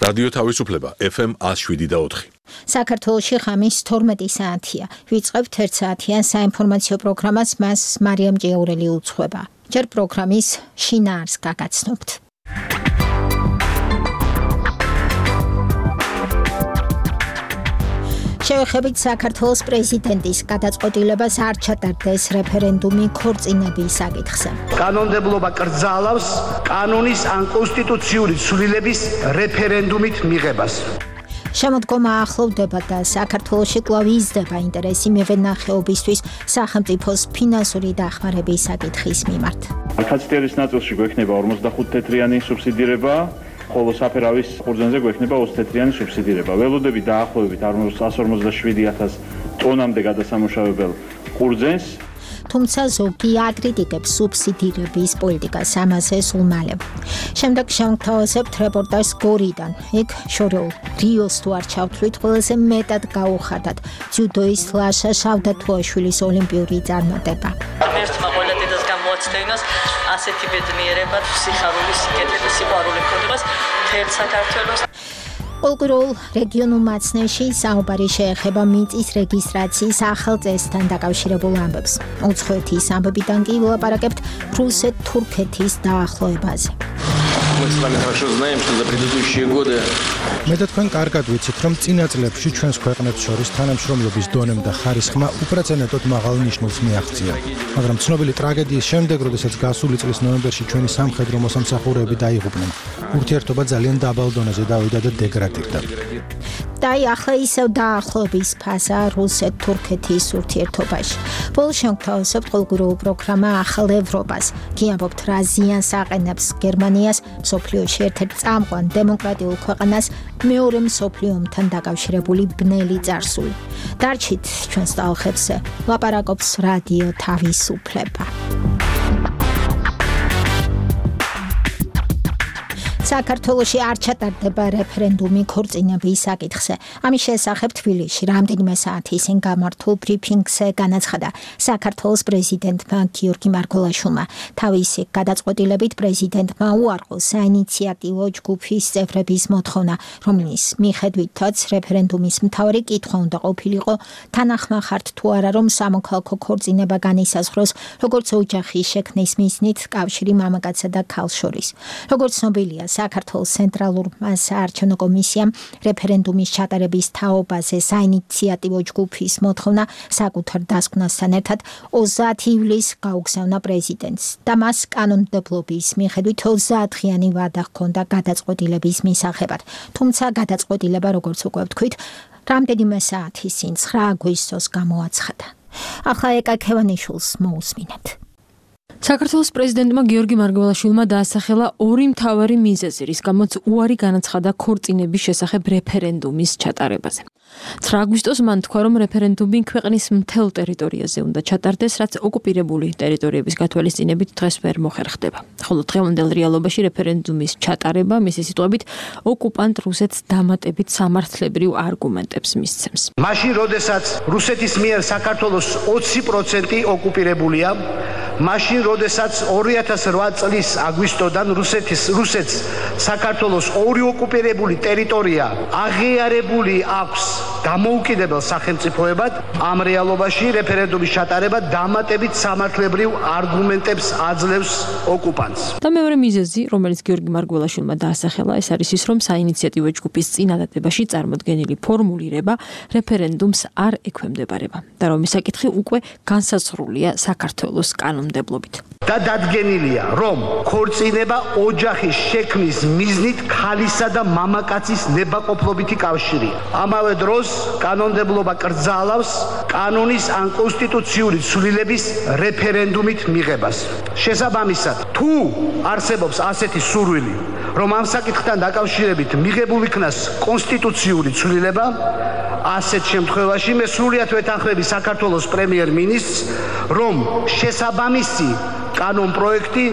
რადიო თავისუფლება FM 107.4. საქართველოში ღამის 12 საათია. ვიწყებთ 1 საათიან საინფორმაციო პროგრამას, მას მარიამ ჭიაურელი უძღვება. ჯერ პროგრამის შინაარს გაგაცნობთ. შევეხებით საქართველოს პრეზიდენტის გადაწყვეტილებას არ ჩატარდეს რეფერენდუმი ქორწინების საკითხზე. კანონმდებლობა კრძალავს კანონის ან კონსტიტუციური ცვლილების რეფერენდუმით მიღებას. შემოდგომა ახლოვდება და საქართველოში კვლავ იზრდება ინტერესი მევენახეობისთვის სახელმწიფოს ფინანსური დახმარების საკითხის მიმართ. კაცწერის ნაწილში გვექნება 45 თეთრიანი სუბსიდირება, ხოლო საფერავის ხურძენზე გვექნება 20 თეთრიანი სუბსიდირება. ველოდები დაახლოებით 147,000 ტონამდე გადასამუშავებელ ხურძენს. თუმცა ზოგი აკრიტიკებს სუბსიდირების პოლიტიკას, ამაზე სულ მალე. შემდეგ შევთავაზებთ რეპორტაჟს გორიდან. იქ შორეულ რიოს თუ არ ჩავთვლით, ყველაზე მეტად გაუხარდათ ძიუდოის ლაშა შავდათუაშვილის ოლიმპიური წარმატება. ერთმა ყველა დედას გამოაცხენოს ასეთი ბედნიერება, სიხარული, სიკეთე, სიყვარული ქონებას მთელ საქართველოს. პოლკურულ რეგიონულ მაცნეში საუბარი შეეხება მიწის რეგისტრაციის ახალ წესთან დაკავშირებულ ამბებს. უცხოეთის ამბებიდან კი ვილაპარაკებთ რუსეთ-თურქეთის დაახლოებაზე. Мы с вами хорошо знаем, что за предыдущие годы მე და თქვენ კარგად ვიცით, რომ წინა წლებში ჩვენს ქვეყნებს შორის თანამშრომლობის დონემ და ხარისხმა უპრეცედენტოდ მაღალ ნიშნულს მიაღწია. მაგრამ ცნობილი ტრაგედიის შემდეგ, როდესაც გასული წლის ნოემბერში ჩვენი სამხედრო მოსამსახურეები დაიღუპნენ, ურთიერთობა ძალიან დაბალ დონეზე დავიდა და დეგრადირდა. და ახლა ისევ დაახლოების ფაზა რუსეთ-თურქეთის ურთიერთობაში. ბოლოს შევთავაზებთ პოლკურულ პროგრამა ახალ ევროპას. გიამბობთ რა ზიანს აყენებს გერმანიას, მსოფლიოში ერთ-ერთ წამყვან დემოკრატიულ ქვეყანას, მეორე მსოფლიო ომთან დაკავშირებული ბნელი წარსული. დარჩით ჩვენს ტალღებზე, ლაპარაკობს რადიო თავისუფლება. საქართველოში არ ჩატარდება რეფერენდუმი ქორწინების საკითხზე. ამის შესახებ თბილისში რამდენიმე საათი წინ გამართულ ბრიფინგზე განაცხადა საქართველოს პრეზიდენტმა გიორგი მარგველაშვილმა. თავისი გადაწყვეტილებით პრეზიდენტმა უარყო საინიციატივო ჯგუფის წევრების მოთხოვნა, რომლის მიხედვითაც რეფერენდუმის მთავარი კითხვა უნდა ყოფილიყო თანახმახართ თუ არა, რომ სამოქალაქო ქორწინება განისაზღვროს როგორც ოჯახის შექმნის მიზნით კავშირი მამაკაცსა და ქალს შორის. როგორც ცნობილია, საქართველოს ცენტრალურმა საარჩევნო კომისიამ რეფერენდუმის ჩატარების თაობაზე საინიციატივო ჯგუფის მოთხოვნა საკუთარ დასკვნასთან ერთად 30 ივლისს გაუგზავნა პრეზიდენტს და მას კანონმდებლობის მიხედვით 30-დღიანი ვადა ჰქონდა გადაწყვეტილების მისაღებად. თუმცა გადაწყვეტილება, როგორც უკვე ვთქვით, რამდენიმე საათის წინ 9 აგვისტოს გამოაცხადა. ახლა ეკა ქევანიშვილს მოусმინეთ. საქართველოს პრეზიდენტმა გიორგი მარგველაშვილმა დაასახელა ორი მთავარი მიზეზი, რის გამოც უარი განაცხადა ქორწინების შესახებ რეფერენდუმის ჩატარებაზე. 9 აგვისტოს მან თქვა, რომ რეფერენდუმი ქვეყნის მთელ ტერიტორიაზე უნდა ჩატარდეს, რაც ოკუპირებული ტერიტორიების გათვალისწინებით დღეს ვერ მოხერხდება. ხოლო დღევანდელ რეალობაში რეფერენდუმის ჩატარება, მისი სიტყვებით, ოკუპანტ რუსეთს დამატებით სამართლებრივ არგუმენტებს მისცემს. მაშინ, როდესაც რუსეთის მიერ საქართველოს 20% ოკუპირებულია, მაშინ, როდესაც 2008 წლის აგვისტოდან რუსეთს საქართველოს ორი ოკუპირებული ტერიტორია აღიარებული აქვს დამოუკიდებელ სახელმწიფოებად, ამ რეალობაში რეფერენდუმის ჩატარება დამატებით სამართლებრივ არგუმენტებს აძლევს ოკუპანტს. და მეორე მიზეზი, რომელიც გიორგი მარგველაშვილმა დაასახელა, ეს არის ის, რომ საინიციატივო ჯგუფის წინადადებაში წარმოდგენილი ფორმულირება რეფერენდუმს არ ექვემდებარება და რომ ეს საკითხი უკვე განსაზღვრულია საქართველოს კანონმდებლობით. და დადგენილია, რომ ქორწინება ოჯახის შექმნის მიზნით ქალისა და მამაკაცის ნებაყოფლობითი კავშირია. ამავე დროს კანონმდებლობა კრძალავს კანონის ან კონსტიტუციური ცვლილების რეფერენდუმით მიღებას. შესაბამისად, თუ არსებობს ასეთი სურვილი, რომ ამ საკითხთან დაკავშირებით მიღებულ იქნას კონსტიტუციური ცვლილება, ასეთ შემთხვევაში მე სრულიად ვეთანხმები საქართველოს პრემიერ-მინისტრს, რომ შესაბამისი კანონ პროექტი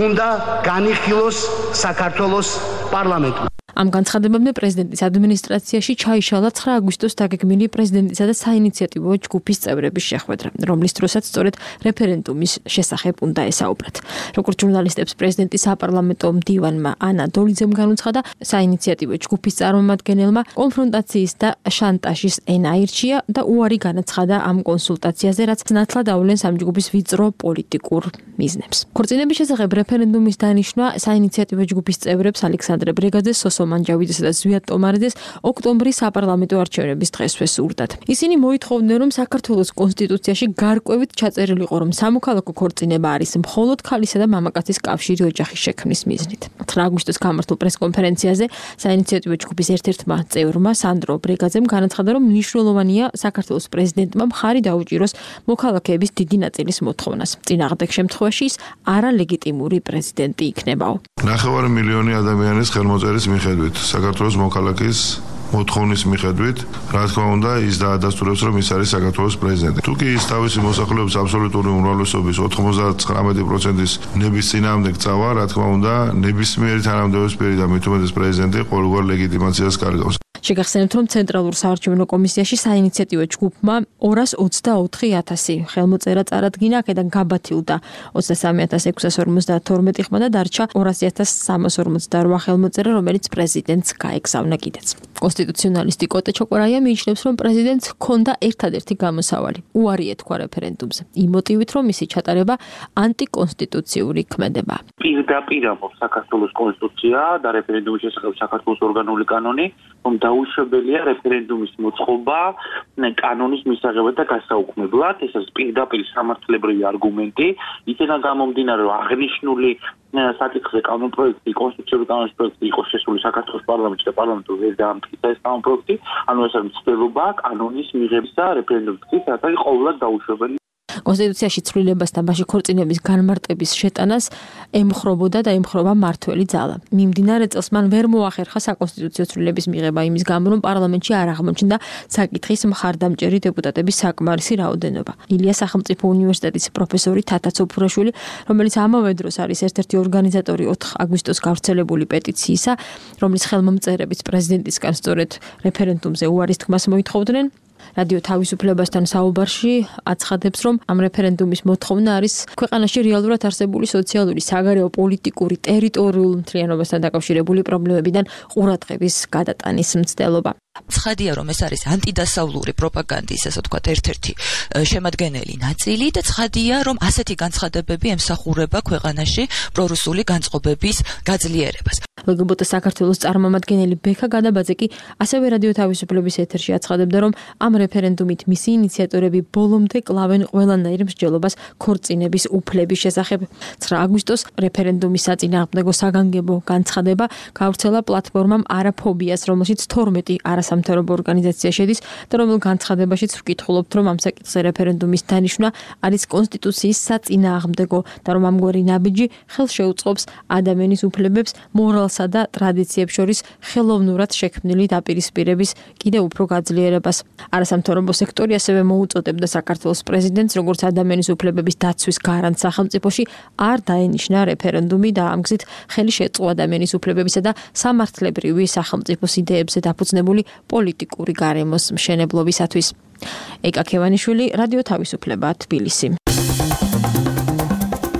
უნდა განიხილოს საქართველოს პარლამენტმა. ამ განცხადებამდე პრეზიდენტის ადმინისტრაციაში ჩაიშალა 9 აგვისტოს დაგეგმილი პრეზიდენტისა და საინიციატივო ჯგუფის წევრების შეხვედრა, რომლის დროსაც სწორედ რეფერენდუმის შესახებ უნდა ესაუბრათ. როგორც ჟურნალისტებს პრეზიდენტის საპარლამენტო მდივანმა ანა დოლიძემ განუცხადა, საინიციატივო ჯგუფის წარმომადგენელმა კონფრონტაციის და შანტაჟის ენა აირჩია და უარი განაცხადა ამ კონსულტაციაზე, რაც ნათლად ავლენს ამ ჯგუფის ვიწრო პოლიტიკურ მიზნებს. ქორწინების შესახებ რეფერენდუმის დანიშვნა საინიციატივო ჯგუფის წევრებს ალექსანდრე ბრეგაძეს, სოსო მანჯავიძესა და ზვიად ტომარიძეს ოქტომბრის საპარლამენტო არჩევნების დღესვე სურდათ. ისინი მოითხოვდნენ, რომ საქართველოს კონსტიტუციაში გარკვევით ჩაწერილიყო, რომ სამოქალაქო ქორწინება არის მხოლოდ ქალისა და მამაკაცის კავშირი ოჯახის შექმნის მიზნით. 9 აგვისტოს გამართულ პრესკონფერენციაზე საინიციატივო ჯგუფის ერთ-ერთმა წევრმა სანდრო ბრეგაძემ განაცხადა, რომ მნიშვნელოვანია საქართველოს პრეზიდენტმა მხარი დაუჭიროს მოქალაქეების დიდი ნაწილის მოთხოვნას. წინააღმდეგ შემთხვევაში ის არალეგიტიმური პრეზიდენტი იქნებაო. 9 მილიონი ადამიანის ხელმოწერის მიხედვით, საქართველოს მოქალაქის მოთხოვნის მიხედვით, რა თქმა უნდა, ის დაადასტურებს, რომ ის არის საქართველოს პრეზიდენტი. თუ კი ის თავისი მოსახლეობის აბსოლუტური უმრავლესობის 99%-ის ნების წინააღმდეგ წავა, რა თქმა უნდა, ნებისმიერი თანამდებობისმიერი და მით უმეტეს პრეზიდენტი ყოველგვარ ლეგიტიმაციას კარგავს. შეგახსენებთ, რომ ცენტრალურ საარჩევნო კომისიაში საინიციატივო ჯგუფმა 224,000 ხელმოწერა წარადგინა, აქედან გაბათილდა 23,652 ხმა და დარჩა 200,348 ხელმოწერა, რომელიც პრეზიდენტს გაეგზავნა კიდეც. კონსტიტუციონალისტი კოტე ჩოკორაია მიიჩნევს, რომ პრეზიდენტს ჰქონდა ერთადერთი გამოსავალი, უარი ეთქვა რეფერენდუმზე, იმ მოტივით, რომ მისი ჩატარება ანტიკონსტიტუციური ქმედება. პირდაპირ ამბობს საქართველოს კონსტიტუცია და რეფერენდუმის შესახებ საქართველოს ორგანული კანონი, რომ დაუშვებელია რეფერენდუმის მოწყობა კანონის მისაღებად და გასაუქმებლად. ეს არის პირდაპირ სამართლებრივი არგუმენტი. იქიდან გამომდინარე, რომ აღნიშნული საკითხზე კანონპროექტი, კონსტიტუციური კანონის პროექტი იყო შესული საქართველოს პარლამენტში და პარლამენტი ვერ დაამტკიცა ეს კანონპროექტი. ანუ ეს არის მცდელობა კანონის მიღებისა რეფერენდუმის, რაც არის ყოველად დაუშვებელი. კონსტიტუციაში ცვლილებასთან მასში ქორწინების განმარტების შეტანას ემხრობოდა და ემხრობა მართველი ძალა. მიმდინარე წელს მან ვერ მოახერხა საკონსტიტუციო ცვლილების მიღება იმის გამო, რომ პარლამენტში არ აღმოჩნდა საკითხის მხარდამჭერი დეპუტატების საკმარისი რაოდენობა. ილია სახელმწიფო უნივერსიტეტის პროფესორი თათა ცოფურაშვილი, რომელიც ამავე დროს არის ერთ-ერთი ორგანიზატორი 4 აგვისტოს გავრცელებული პეტიციისა, რომლის ხელმომწერებიც პრეზიდენტისგან სწორედ რეფერენდუმზე უარის თქმას მოითხოვდნენ, რადიო თავისუფლებასთან საუბარში აცხადებს, რომ ამ რეფერენდუმის მოთხოვნა არის ქვეყანაში რეალურად არსებული სოციალური, საგარეო, პოლიტიკური, ტერიტორიულ მთლიანობასთან დაკავშირებული პრობლემებიდან ყურადღების გადატანის მცდელობა. ცხადია, რომ ეს არის ანტიდასავლური პროპაგანდის, ასე ვთქვათ, ერთ-ერთი შემადგენელი ნაწილი და ცხადია, რომ ასეთი განცხადებები ემსახურება ქვეყანაში პრორუსული განწყობების გაძლიერებას. ლგბტ საქართველოს წარმომადგენელი ბექა გადაბაძე კი ასევე რადიო თავისუფლების ეთერში აცხადებდა, რომ ამ რეფერენდუმით მისი ინიციატორები ბოლომდე კლავენ ყველანაირ მსჯელობას ქორწინების უფლების შესახებ. 9 აგვისტოს რეფერენდუმის საწინააღმდეგო საგანგებო განცხადება გავრცელა პლატფორმამ არაფობიას, რომელშიც 12 არასამთავრობო ორგანიზაცია შედის და რომელ განცხადებაშიც ვკითხულობთ, რომ ამ საკითხზე რეფერენდუმის დანიშვნა არის კონსტიტუციის საწინააღმდეგო და რომ ამგვარი ნაბიჯი ხელს შეუწყობს ადამიანის უფლებებს მორალსა და ტრადიციებს შორის ხელოვნურად შექმნილი დაპირისპირების კიდევ უფრო გაძლიერებას. არასამთავრობო სექტორი ასევე მოუწოდებდა საქართველოს პრეზიდენტს, როგორც ადამიანის უფლებების დაცვის გარანტს სახელმწიფოში, არ დაენიშნა რეფერენდუმი და ამ გზით ხელი შეწყო ადამიანის უფლებებისა და სამართლებრივი სახელმწიფოს იდეებზე დაფუძნებული პოლიტიკური გარემოს მშენებლობისათვის. ეკა ქევანიშვილი, რადიო თავისუფლება, თბილისი.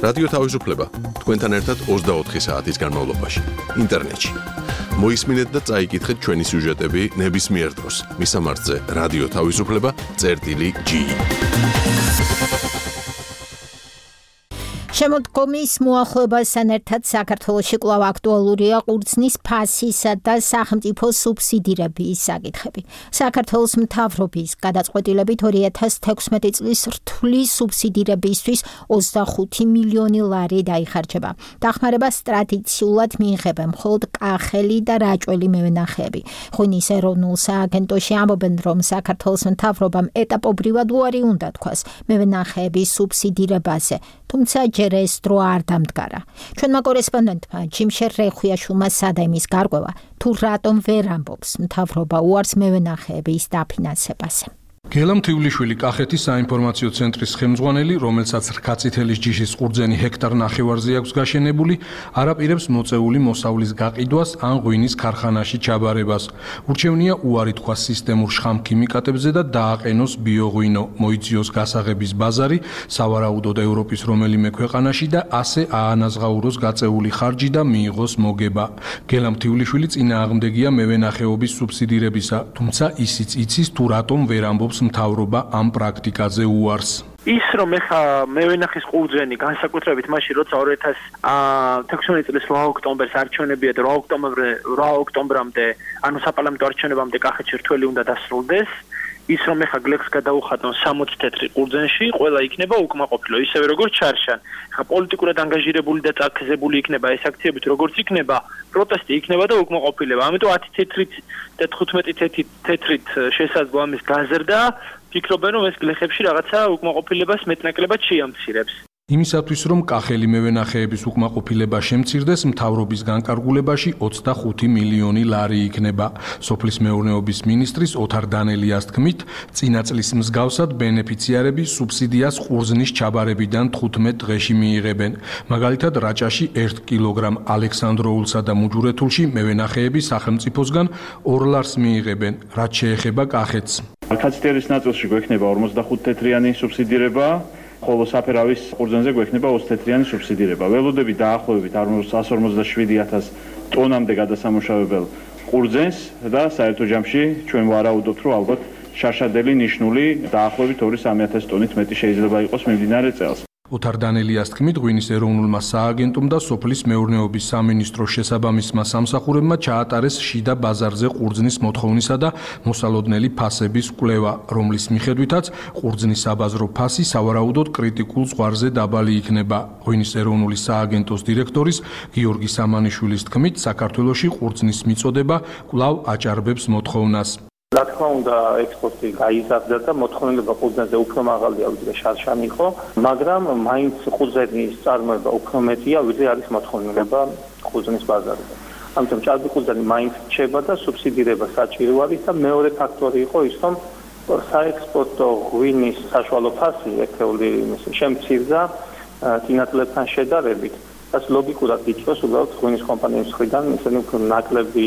რადიო თავისუფლება თქვენთან ერთად 24 საათის განმავლობაში ინტერნეტში. მოისმინეთ და წაიკითხეთ ჩვენი სიუჟეტები ნებისმიერ დროს. მისამართზე რადიო თავისუფლება.ge. შემოდგომის მოახლოებასთან ერთად საქართველოში კვლავ აქტუალურია ყურძნის ფასისა და სახელმწიფო სუბსიდირების საკითხები. საქართველოს მთავრობის გადაწყვეტილებით 2016 წლის რთული სუბსიდირებისთვის 25 მილიონი ლარი დაიხარჯება. დახმარებას ტრადიციულად მიიღებენ მხოლოდ კახელი და რაჭველი მევენახეები. ღვინის ეროვნულ სააგენტოში ამბობენ, რომ საქართველოს მთავრობამ ეტაპობრივად უარი უნდა თქვას მევენახეების სუბსიდირებაზე, თუმცა ეს დრო არ დამდგარა. ჩვენმა კორესპონდენტმა ჯიმშერ რეხვიაშვილმა სადაიმის გარკვევა, თუ რატომ ვერ ამბობს მთავრობა უარს მევენახეების დაფინანსებაზე. გელამ თივლიშვილი კახეთის საინფორმაციო ცენტრის ხელმძღვანელი, რომელსაც რქაწითელის ჯიშის ყურძენი ჰექტარ ნახევარზე აქვს გაშენებული, არაპირებს მოწეული მოსავლის გაყიდვას ან ღვინის ქარხანაში ჩაბარებას. ურჩევნია უარი თქვას სისტემურ შხამქიმიკატებზე და დააყენოს ბიოღვინო, მოიძიოს გასაღების ბაზარი, სავარაუდოდ ევროპის რომელიმე ქვეყანაში და ასე აანაზღაუროს გაწეული ხარჯი და მიიღოს მოგება. გელამ თივლიშვილი წინააღმდეგია მევენახეობის სუბსიდირებისა, თუმცა ისიც იცის თუ რატომ ვერ ამბობს მთავრობა ამ პრაქტიკაზე უარს. ის რომ ეხა მევენახის ყურძენი განსაკუთრებით მაშინ როცა 2016 წლის 8 ოქტომბერს არჩევნებია და 8 ოქტომბრამდე ანუ საპარლამენტო არჩევნებამდე კახეთში რთველი უნდა დასრულდეს ის რომ ეხა გლეხს გადაუხატონ 60 თეთრი ყურძენში ყველა იქნება უკმაყოფილო ისევე როგორც ჩარშან ეხა პოლიტიკურად ანგაჟირებული და წაქეზებული იქნება ეს აქციებით როგორც იქნება პროტესტი იქნება და უკმაყოფილება ამიტომ 10 თეთრით და 15 თეთრით შესაძლო ამის გაზრდა ფიქრობენ რომ ეს გლეხებში რაღაცა უკმაყოფილებას მეტნაკლებად შეამცირებს იმისათვის რომ კახელი მევენახეების უკმაყოფილება შემცირდეს მთავრობის განკარგულებაში 25 მილიონი ლარი იქნება სოფლის მეურნეობის მინისტრის ოთარ დანელიას თქმით წინა წლის მსგავსად ბენეფიციარები სუბსიდიას ყურძნის ჩაბარებიდან 15 დღეში მიიღებენ მაგალითად რაჭაში 1 კილოგრამ ალექსანდროულსა და მუჯურეთულში მევენახეები სახელმწიფოსგან 2 ლარს მიიღებენ რაც შეეხება კახეთს რქაწითელის ნაწილში გვექნება 45 თეთრიანი სუბსიდირება ხოლო საფერავის ყურძენზე გვექნება 20 თეთრიანი სუბსიდირება. ველოდები დაახლოებით 147,000 ტონამდე გადასამუშავებელ ყურძენს და საერთო ჯამში ჩვენ ვარაუდობთ, რომ ალბათ შარშადელი ნიშნული დაახლოებით 2-3,000 ტონით მეტი შეიძლება იყოს მიმდინარე წელს. ოთარ დანელიას თქმით, ღვინის ეროვნულმა სააგენტომ და სოფლის მეურნეობის სამინისტროს შესაბამისმა სამსახურებმა ჩაატარეს შიდა ბაზარზე ყურძნის მოთხოვნისა და მოსალოდნელი ფასების კვლევა, რომლის მიხედვითაც ყურძნის საბაზრო ფასი სავარაუდოდ კრიტიკულ ზღვარზე დაბალი იქნება. ღვინის ეროვნული სააგენტოს დირექტორის გიორგი სამანიშვილის თქმით, საქართველოში ყურძნის მიწოდება კვლავ აჭარბებს მოთხოვნას. რა თქმა უნდა ექსპორტი გაიზარდა და მოთხოვნილება ყურძენზე უფრო მაღალია ვიდრე შარშან იყო, მაგრამ მაინც ყურძენის წარმოება უფრო მეტია ვიდრე არის მოთხოვნილება ყურძენის ბაზარზე. ამიტომ ჭარბი ყურძენი მაინც რჩება და სუბსიდირება საჭირო არის და მეორე ფაქტორი იყო ის რომ საექსპორტო ღვინის საშუალო ფასი ერთეული შემცირდა წინა წლებთან შედარებით. რაც ლოგიკურად იწვევს უბრალოდ ღვინის კომპანიების მხრიდან ისინი უფრო ნაკლები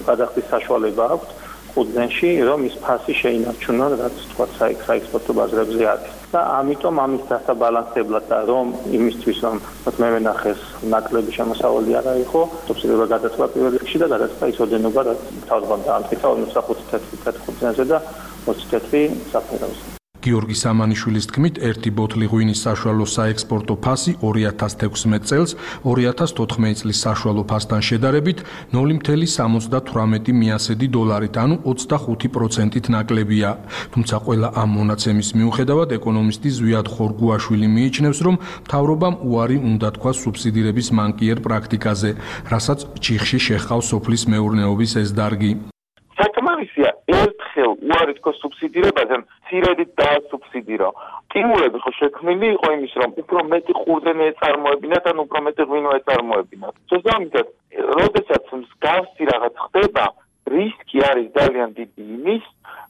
გადახდის საშუალება აქვთ ყურძენში, რომ ის ფასი შეინარჩუნონ, რაც თქვა საექსპორტო ბაზრებზე არის. და ამიტომ ამის დასაბალანსებლად და რომ იმისთვის რომ მევენახეს ნაკლები შემოსავალი არ იყო, სუბსიდირება გადაწყვეტა პირველ რიგში და გადაწყვეტა ის ოდენობა, რაც თავდაპირველად დაამტკიცა 45 თეთრი ყურძენზე და 20 თეთრი საფერავზე. გიორგი სამანიშვილის თქმით, ერთი ბოთლი ღვინის საშუალო საექსპორტო ფასი 2016 წელს 2014 წლის საშუალო ფასთან შედარებით 0.78 მიასედი დოლარით, ანუ 25%-ით ნაკლებია. თუმცა ყველა ამ მონაცემის მიუხედავად ეკონომისტი ზვიად ხორგუაშვილი მიიჩნევს, რომ მთავრობამ უარი უნდა თქვას სუბსიდირების მანკიერ პრაქტიკაზე, რასაც ჩიხში შეჰყავს სოფლის მეურნეობის ეს დარგი. საკმარისია ერთხელ უარი თქვა სუბსიდირებაზე, მცირედით დაასუბსიდირო. სტიმულები ხო შექმნილი იყო იმის, რომ უფრო მეტი ყურძენი ეწარმოებინათ, ან უფრო მეტი ღვინო ეწარმოებინათ. შესაბამისად, როდესაც მსგავსი რაღაც ხდება, რისკი არის ძალიან დიდი იმის,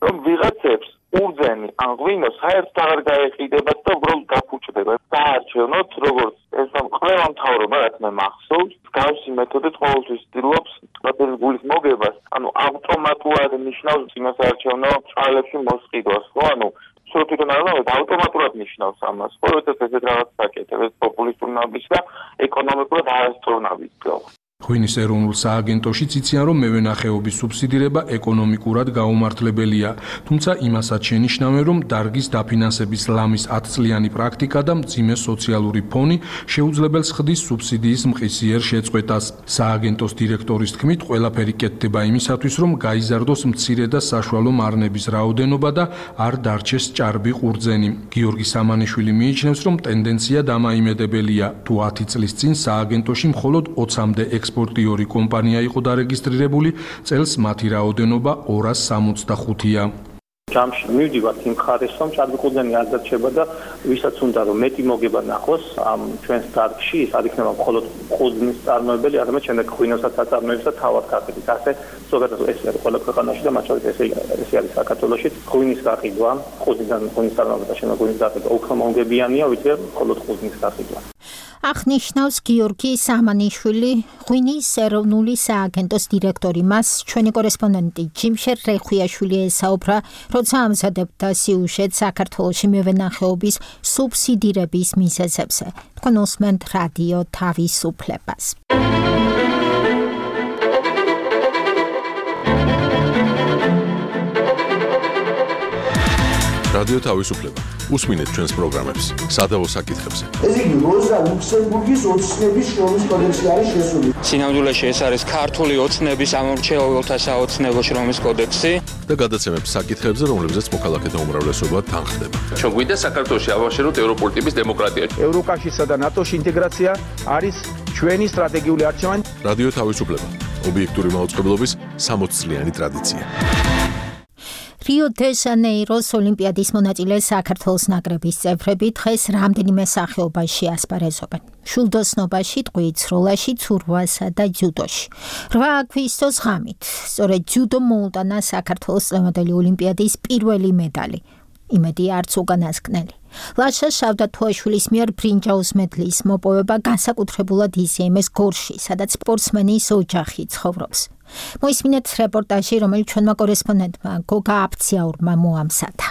რომ ვიღაცებს ყურძენი ან ღვინო საერთოდ აღარ გაეყიდებათ და უბრალოდ გაფუჭდება. დაარჩენოთ, როგორც ეს ყველა მთავრობა, რაც მე მახსოვს, მსგავსი მეთოდით ყოველთვის ცდილობს პროტესტის გულის მოგებას, ანუ ავტომატურად ნიშნავს წინასაარჩევნო ჭრალებში მოსყიდვას, ხო? ანუ სრუტიდან არა, ავტომატურად ნიშნავს ამას. ხო, როდესაც ესეთ რაღაცას აკეთებს, პოპულისტური ნაბიჯს და ეკონომიკურად არასწორ ნაბიჯს გავს. ღვინის ეროვნულ სააგენტოშიც იციან, რომ მევენახეობის სუბსიდირება ეკონომიკურად გაუმართლებელია, თუმცა იმასაც შენიშნავენ, რომ დარგის დაფინანსების ლამის 10 წლიანი პრაქტიკა და მძიმე სოციალური ფონი შეუძლებელს ხდის სუბსიდიის მყისიერ შეწყვეტას. სააგენტოს დირექტორის თქმით, ყველაფერი კეთდება იმისათვის, რომ გაიზარდოს მცირე და საშუალო მარნების რაოდენობა და არ დარჩეს ჭარბი ყურძენი. გიორგი სამანიშვილი მიიჩნევს, რომ ტენდენცია დამაიმედებელია. თუ 10 წლის წინ სააგენტოში მხოლოდ 20-მდე ექსპორტიორი კომპანია იყო დარეგისტრირებული, წელს მათი რაოდენობა 265-ია. ჯამში მივდივართ იმ ხარეს, რომ ჭადრაკუძენი არ დარჩება და ვისაც უნდა რომ მეტი მოგება ნახოს ამ ჩვენს დარგში, ის არ იქნება მხოლოდ ყურძნის წარმოებელი, არამედ შემდეგ ღვინოსაც აწარმოებს და თავად გაყიდვის. ასე ზოგადად ეს არის ყველა ქვეყანაში და მათ შორის ეს არის საქართველოში. ღვინის გაყიდვა, ღვინის წარმოება და შემდეგ ღვინის გაყიდვა უფრო მომგებიანია, ვიდრე მხოლოდ ყურძნის გაყიდვა. აღნიშნავს გიორგი სამანიშვილი, ღვინის ეროვნული სააგენტოს დირექტორი. მას ჩვენი კორესპონდენტი ჯიმშერ რეხვიაშვილი ესაუბრა, როცა ამზადებდა სიუჟეტს საქართველოში მევენახეობის სუბსიდირების მიზეზებზე. თქვენ უსმენთ რადიო თავისუფლებას. რადიო თავისუფლება. უსმინეთ ჩვენს პროგრამებს სადავო საკითხებზე. ეს იგი როზა ლუქსემბურგის ოცნების შრომის კოდექსი არის შესული. სინამდვილეში ეს არის ქართული ოცნების ამორჩეულთა საოცნებო შრომის კოდექსი და გადაცემებს საკითხებზე, რომლებზეც მოქალაქეთა უმრავლესობა თანხდება. ჩვენ გვინდა საქართველოში ავაშენოთ ევროპული ტიპის დემოკრატია. ევროკავშირსა და ნატოს ინტეგრაცია არის ჩვენი სტრატეგიული არჩევანი. რადიო თავისუფლება. ობიექტური მაუწყებლობის 60 წლიანი ტრადიცია. რიო-დე-ჟანეიროს ოლიმპიადის მონაწილე საქართველოს ნაკრების წევრები დღეს რამდენიმე სახეობაში ასპარეზობენ. შულდოსნობაში, ტყვიის სროლაში, ცურვასა და ძიუდოში. 8 აგვისტოს ღამით, სწორედ ძიუდომ მოუტანა საქართველოს წლევანდელი ოლიმპიადის პირველი медаლი. იმედი არც უკანასკნელი. ლაშა შავდათუაშვილის მიერ ბრინჯაოს მედლის მოპოვება განსაკუთრებულად ისეიმეს გორში, სადაც სპორტსმენის ოჯახი ცხოვრობს. მოისმინეთ რეპორტაჟი, რომელიც ჩვენმა კორესპონდენტმა გოგა აფციაურმა მოამზადა.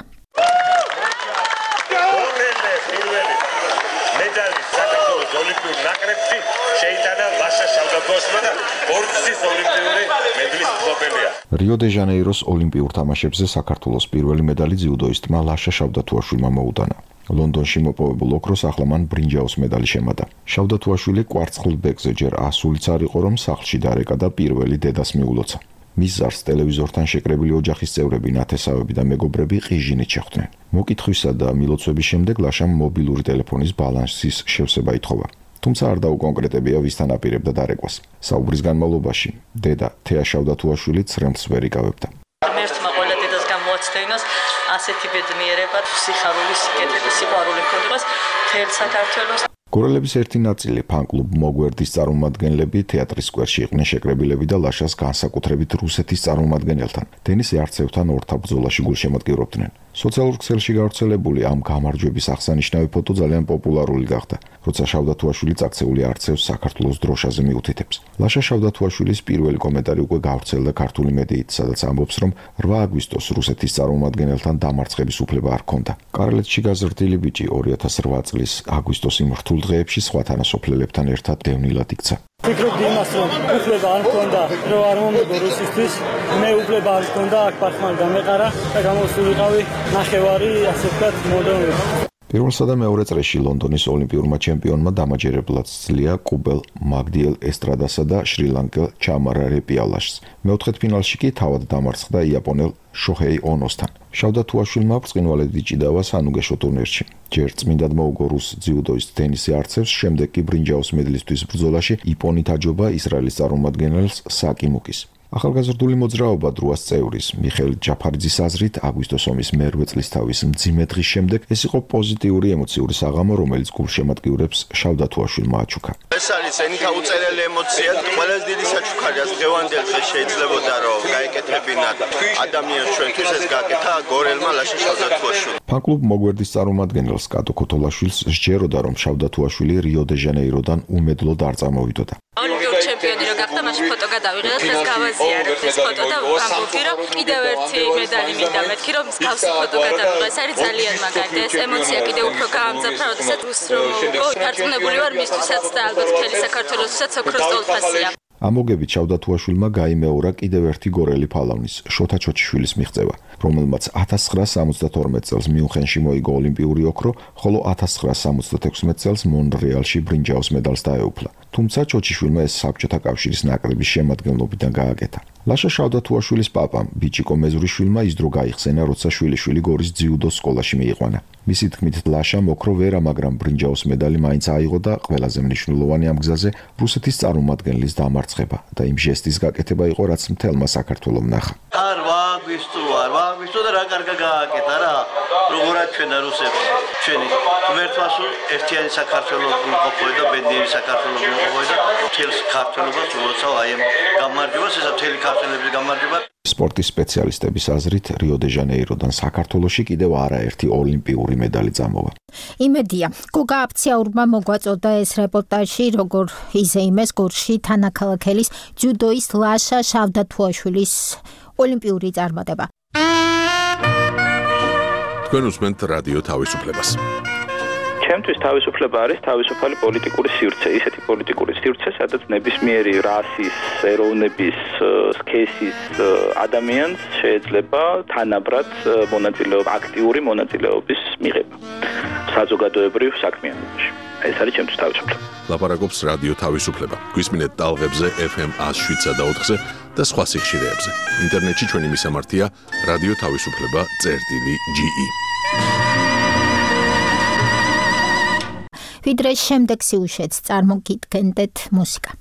медаლი საქართველოს ოლიმპიურ ნაკრებში შეიტანა ლაშა შავდათუაშვილმა და ბორცვის ოლიმპიური მედლის მფლობელია. რიო-დე-ჟანეიროს ოლიმპიურ თამაშებზე საქართველოს პირველი медаლი ძიუდოისტმა ლაშა შავდათუაშვილმა მოუტანა. ლონდონში მოპოვებულ ოქროს ახლა მან ბრინჯაოს медаლი შემატა. შავდათუაშვილი კვარცხლ ბეკზე ჯერ ასულიც არ იყო, რომ სახლში დარეკა და პირველი დედას მიულოცა. მის ზარს ტელევიზორთან შეკრებილი ოჯახის წევრები, ნათესავები და მეგობრები ყიჟინით შეხვდნენ. მოკითხვისა და მილოცვების შემდეგ ლაშამ მობილური ტელეფონის ბალანსის შევსება ითხოვა. თუმცა არ დაუკონკრეტებია, ვისთან აპირებდა დარეკვას. საუბრის განმავლობაში დედა თეა შავდათუაშვილი ცრემლს ვერ იკავებდა. ღმერთმა ყველა დედას გამოაცდენოს ასეთი ბედნიერება, სიხარული, სიკეთე და სიყვარული ჰქონდებას მთელ საქართველოს. გორელების ერთი ნაწილი ფან-კლუბ მოგვერდის წარმომადგენლები თეატრის სკვერში იყვნენ შეკრებილები და ლაშას განსაკუთრებით რუსეთის წარმომადგენელთან, დენის არცევთან ორთაბ ბრძოლაში გულშემატკივრობდნენ. სოციალურ ქსელში გავრცელებული ამ გამარჯვების აღსანიშნავი ფოტო ძალიან პოპულარული გახდა, როცა შავდათუაშვილი წაქცეული არცევს საქართველოს დროშაზე მიუთითებს. ლაშა შავდათუაშვილის პირველი კომენტარი უკვე გავრცელდა ქართული მედიით, სადაც ამბობს, რომ 8 აგვისტოს რუსეთის წარმომადგენელთან დამარცხების უფლება არ ჰქონდა. კარლეთში გაზრდილი ბიჭი 2008 წლის აგვისტოს იმ რთულ დღეებში სხვა თანასოფლელებთან ერთად დევნილად იქცა. ვფიქრობდი იმას, რომ უფლება არ მქონდა, რომ არ მომიგო რუსისთვის, მე უფლება არ მქონდა, აქ პარხმან გამეყარა და გამოსულიყავი ნახევარი, ასე ვთქვათ, მოდრონები. პირველსა და მეორე წრეში ლონდონის ოლიმპიურმა ჩემპიონმა დამაჯერებლად სძლია კუბელ მაგდიელ ესტრადასა და შრი-ლანკელ ჩამარა რეპიალაშს. მეოთხედფინალში კი თავად დამარცხდა იაპონელ შოჰეი ონოსთან. შავდათუაშვილმა ბრწყინვალედ იჭიდავა სანუგეშო ტურნირში. ჯერ წმინდად მოუგო რუს ძიუდოისტ დენის არცევს, შემდეგ კი ბრინჯაოს მედლისთვის ბრძოლაში იპონით აჯობა ისრაელის წარმომადგენელს საკი მუკის. ახალგაზრდული მოძრაობა დროას წევრის მიხეილ ჯაფარიძის აზრით, აგვისტოს ომის მერვე წლისთავის მძიმე დღის შემდეგ ეს იყო პოზიტიური ემოციური საღამო, რომელიც გულშემატკივრებს შავდათუაშვილმა აჩუქა. ეს არის ენითა უწერელი ემოცია, ყველაზე დიდი საჩუქარია დღევანდელ დღეს შეიძლებოდა რომ გაეკეთებინათ ადამიანს ჩვენთვის ეს გაკეთა გორელმა ლაშა შავდათუაშვილმა. ფან-კლუბ მოგვერდის წარმომადგენელს კატო ქოთოლაშვილს სჯეროდა, რომ შავდათუაშვილი რიო-დე-ჟანეიროდან უმედლოდ არ წამოვიდოდა. ოლიმპიური ჩემპიონი რო გახდა, მაშინ ფოტო გადავიღე და დღეს გავაზიარებ ეს ფოტო და ამბობდი, რომ კიდევ ერთი медаლი მინდა მეთქი, რომ მსგავსი ფოტო გადავიღე. ეს არის ძალიან მაგარი და ეს ემოცია კიდევ უფრო გაამძაფრა, როდესაც რუსს რომ მოვიგო. დარწმუნებული ვარ მისთვისაც და ალბათ მთელი საქართველოსთვისაც ოქროს ტოლფასია. ამოგებით შავდათუაშვილმა გაიმეორა კიდევ ერთი გორელი ფალავნის, შოთა ჩოჩიშვილის მიღწევა, რომელმაც 1972 წელს მიუნხენში მოიგო ოლიმპიური ოქრო, ხოლო 1976 წელს მონრეალში ბრინჯაოს медаლს დაეუფლა. თუმცა ჩოჩიშვილმა ეს საბჭოთა კავშირის ნაკრების შემადგენლობიდან გააკეთა. ლაშა შავდათუაშვილის პაპამ, ბიჭიკო მეზურიშვილმა ის დრო გაიხსენა, როცა შვილიშვილი გორის ძიუდოს სკოლაში მიიყვანა. მისი თქმით, ლაშამ ოქრო ვერა, მაგრამ ბრინჯაოს медаლი მაინც აიღო და ყველაზე მნიშვნელოვანი ამ გზაზე რუსეთის წარმომადგენლის დამარცხება და იმ ჟესტის გაკეთება იყო, რაც მთელმა საქართველომ ნახა. არ ვაგვისტო და რა კარგა გააკეთა რა, როგორად ჩვენა რუსებს, ჩვენი ღმერთმა სულ ერთიანი საქართველოს გულყოფოა და ბედნიერი საქართველოს გულყოფოა და მთელ საქართველოს უოცავ აი ამ გამარჯვებას, ესა მთელი ქართველების გამარჯვება. სპორტის სპეციალისტების აზრით, რიო-დე-ჟანეიროდან საქართველოში კიდევ არაერთი ოლიმპიური медаლი წამოვა. იმედია, გოგა აფციაურმა მოგვაწოდა ეს რეპორტაჟი, როგორ იზეიმეს გორში თანაქალაქელის ჯუდოის ლაშა შავდათუაშვილის ოლიმპიური წარმატება. თქვენ უსმენთ რადიო თავისუფლებას. ჩემთვის თავისუფლება არის თავისუფალი პოლიტიკური სივრცე, ისეთი პოლიტიკური სივრცე, სადაც ნებისმიერი რასის, ეროვნების, სქესის ადამიანს შეიძლება თანაბრად მონაწილეობა, აქტიური მონაწილეობის მიღება საზოგადოებრივ საქმიანობაში. ეს არის ჩემთვის თავისუფლება. ლაპარაკობს რადიო თავისუფლება. გვისმინეთ ტალღებზე FM 107.4-ზე და სხვა სიხშირეებზე. ინტერნეტში ჩვენი მისამართია რადიო თავისუფლება.ge. ვიდრე შემდეგ სიუჟეტს წარმოგიდგენდეთ მუსიკა.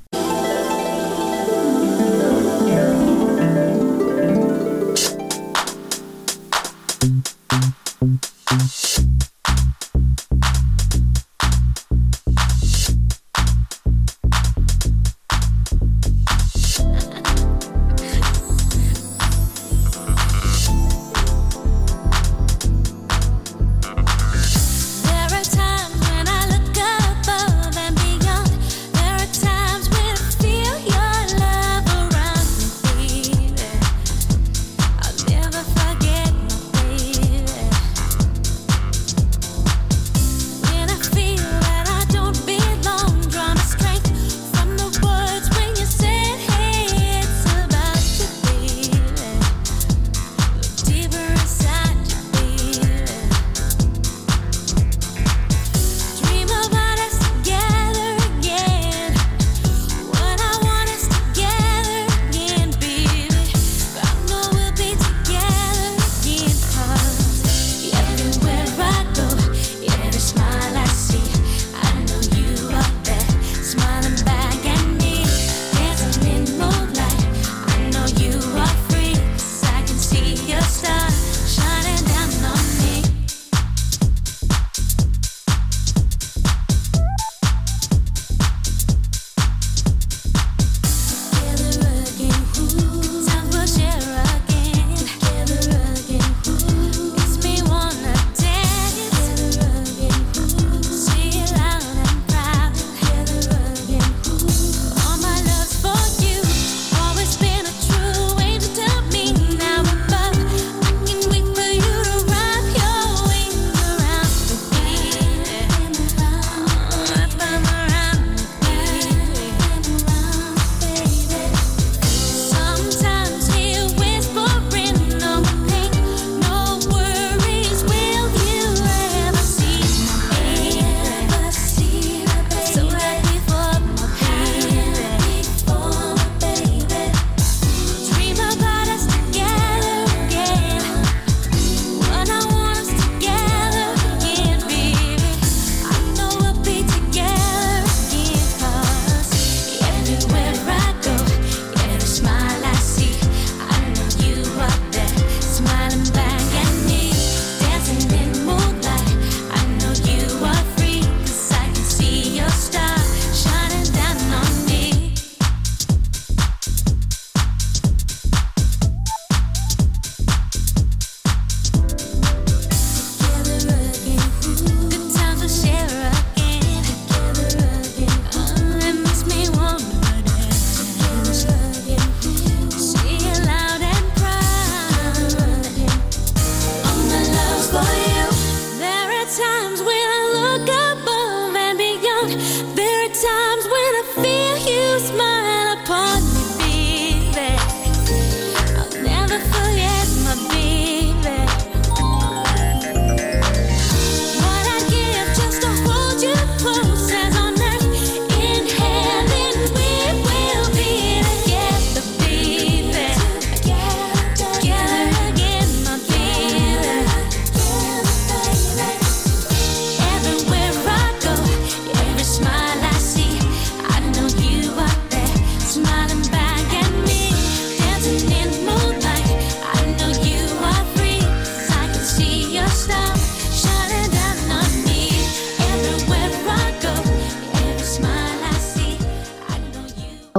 Smile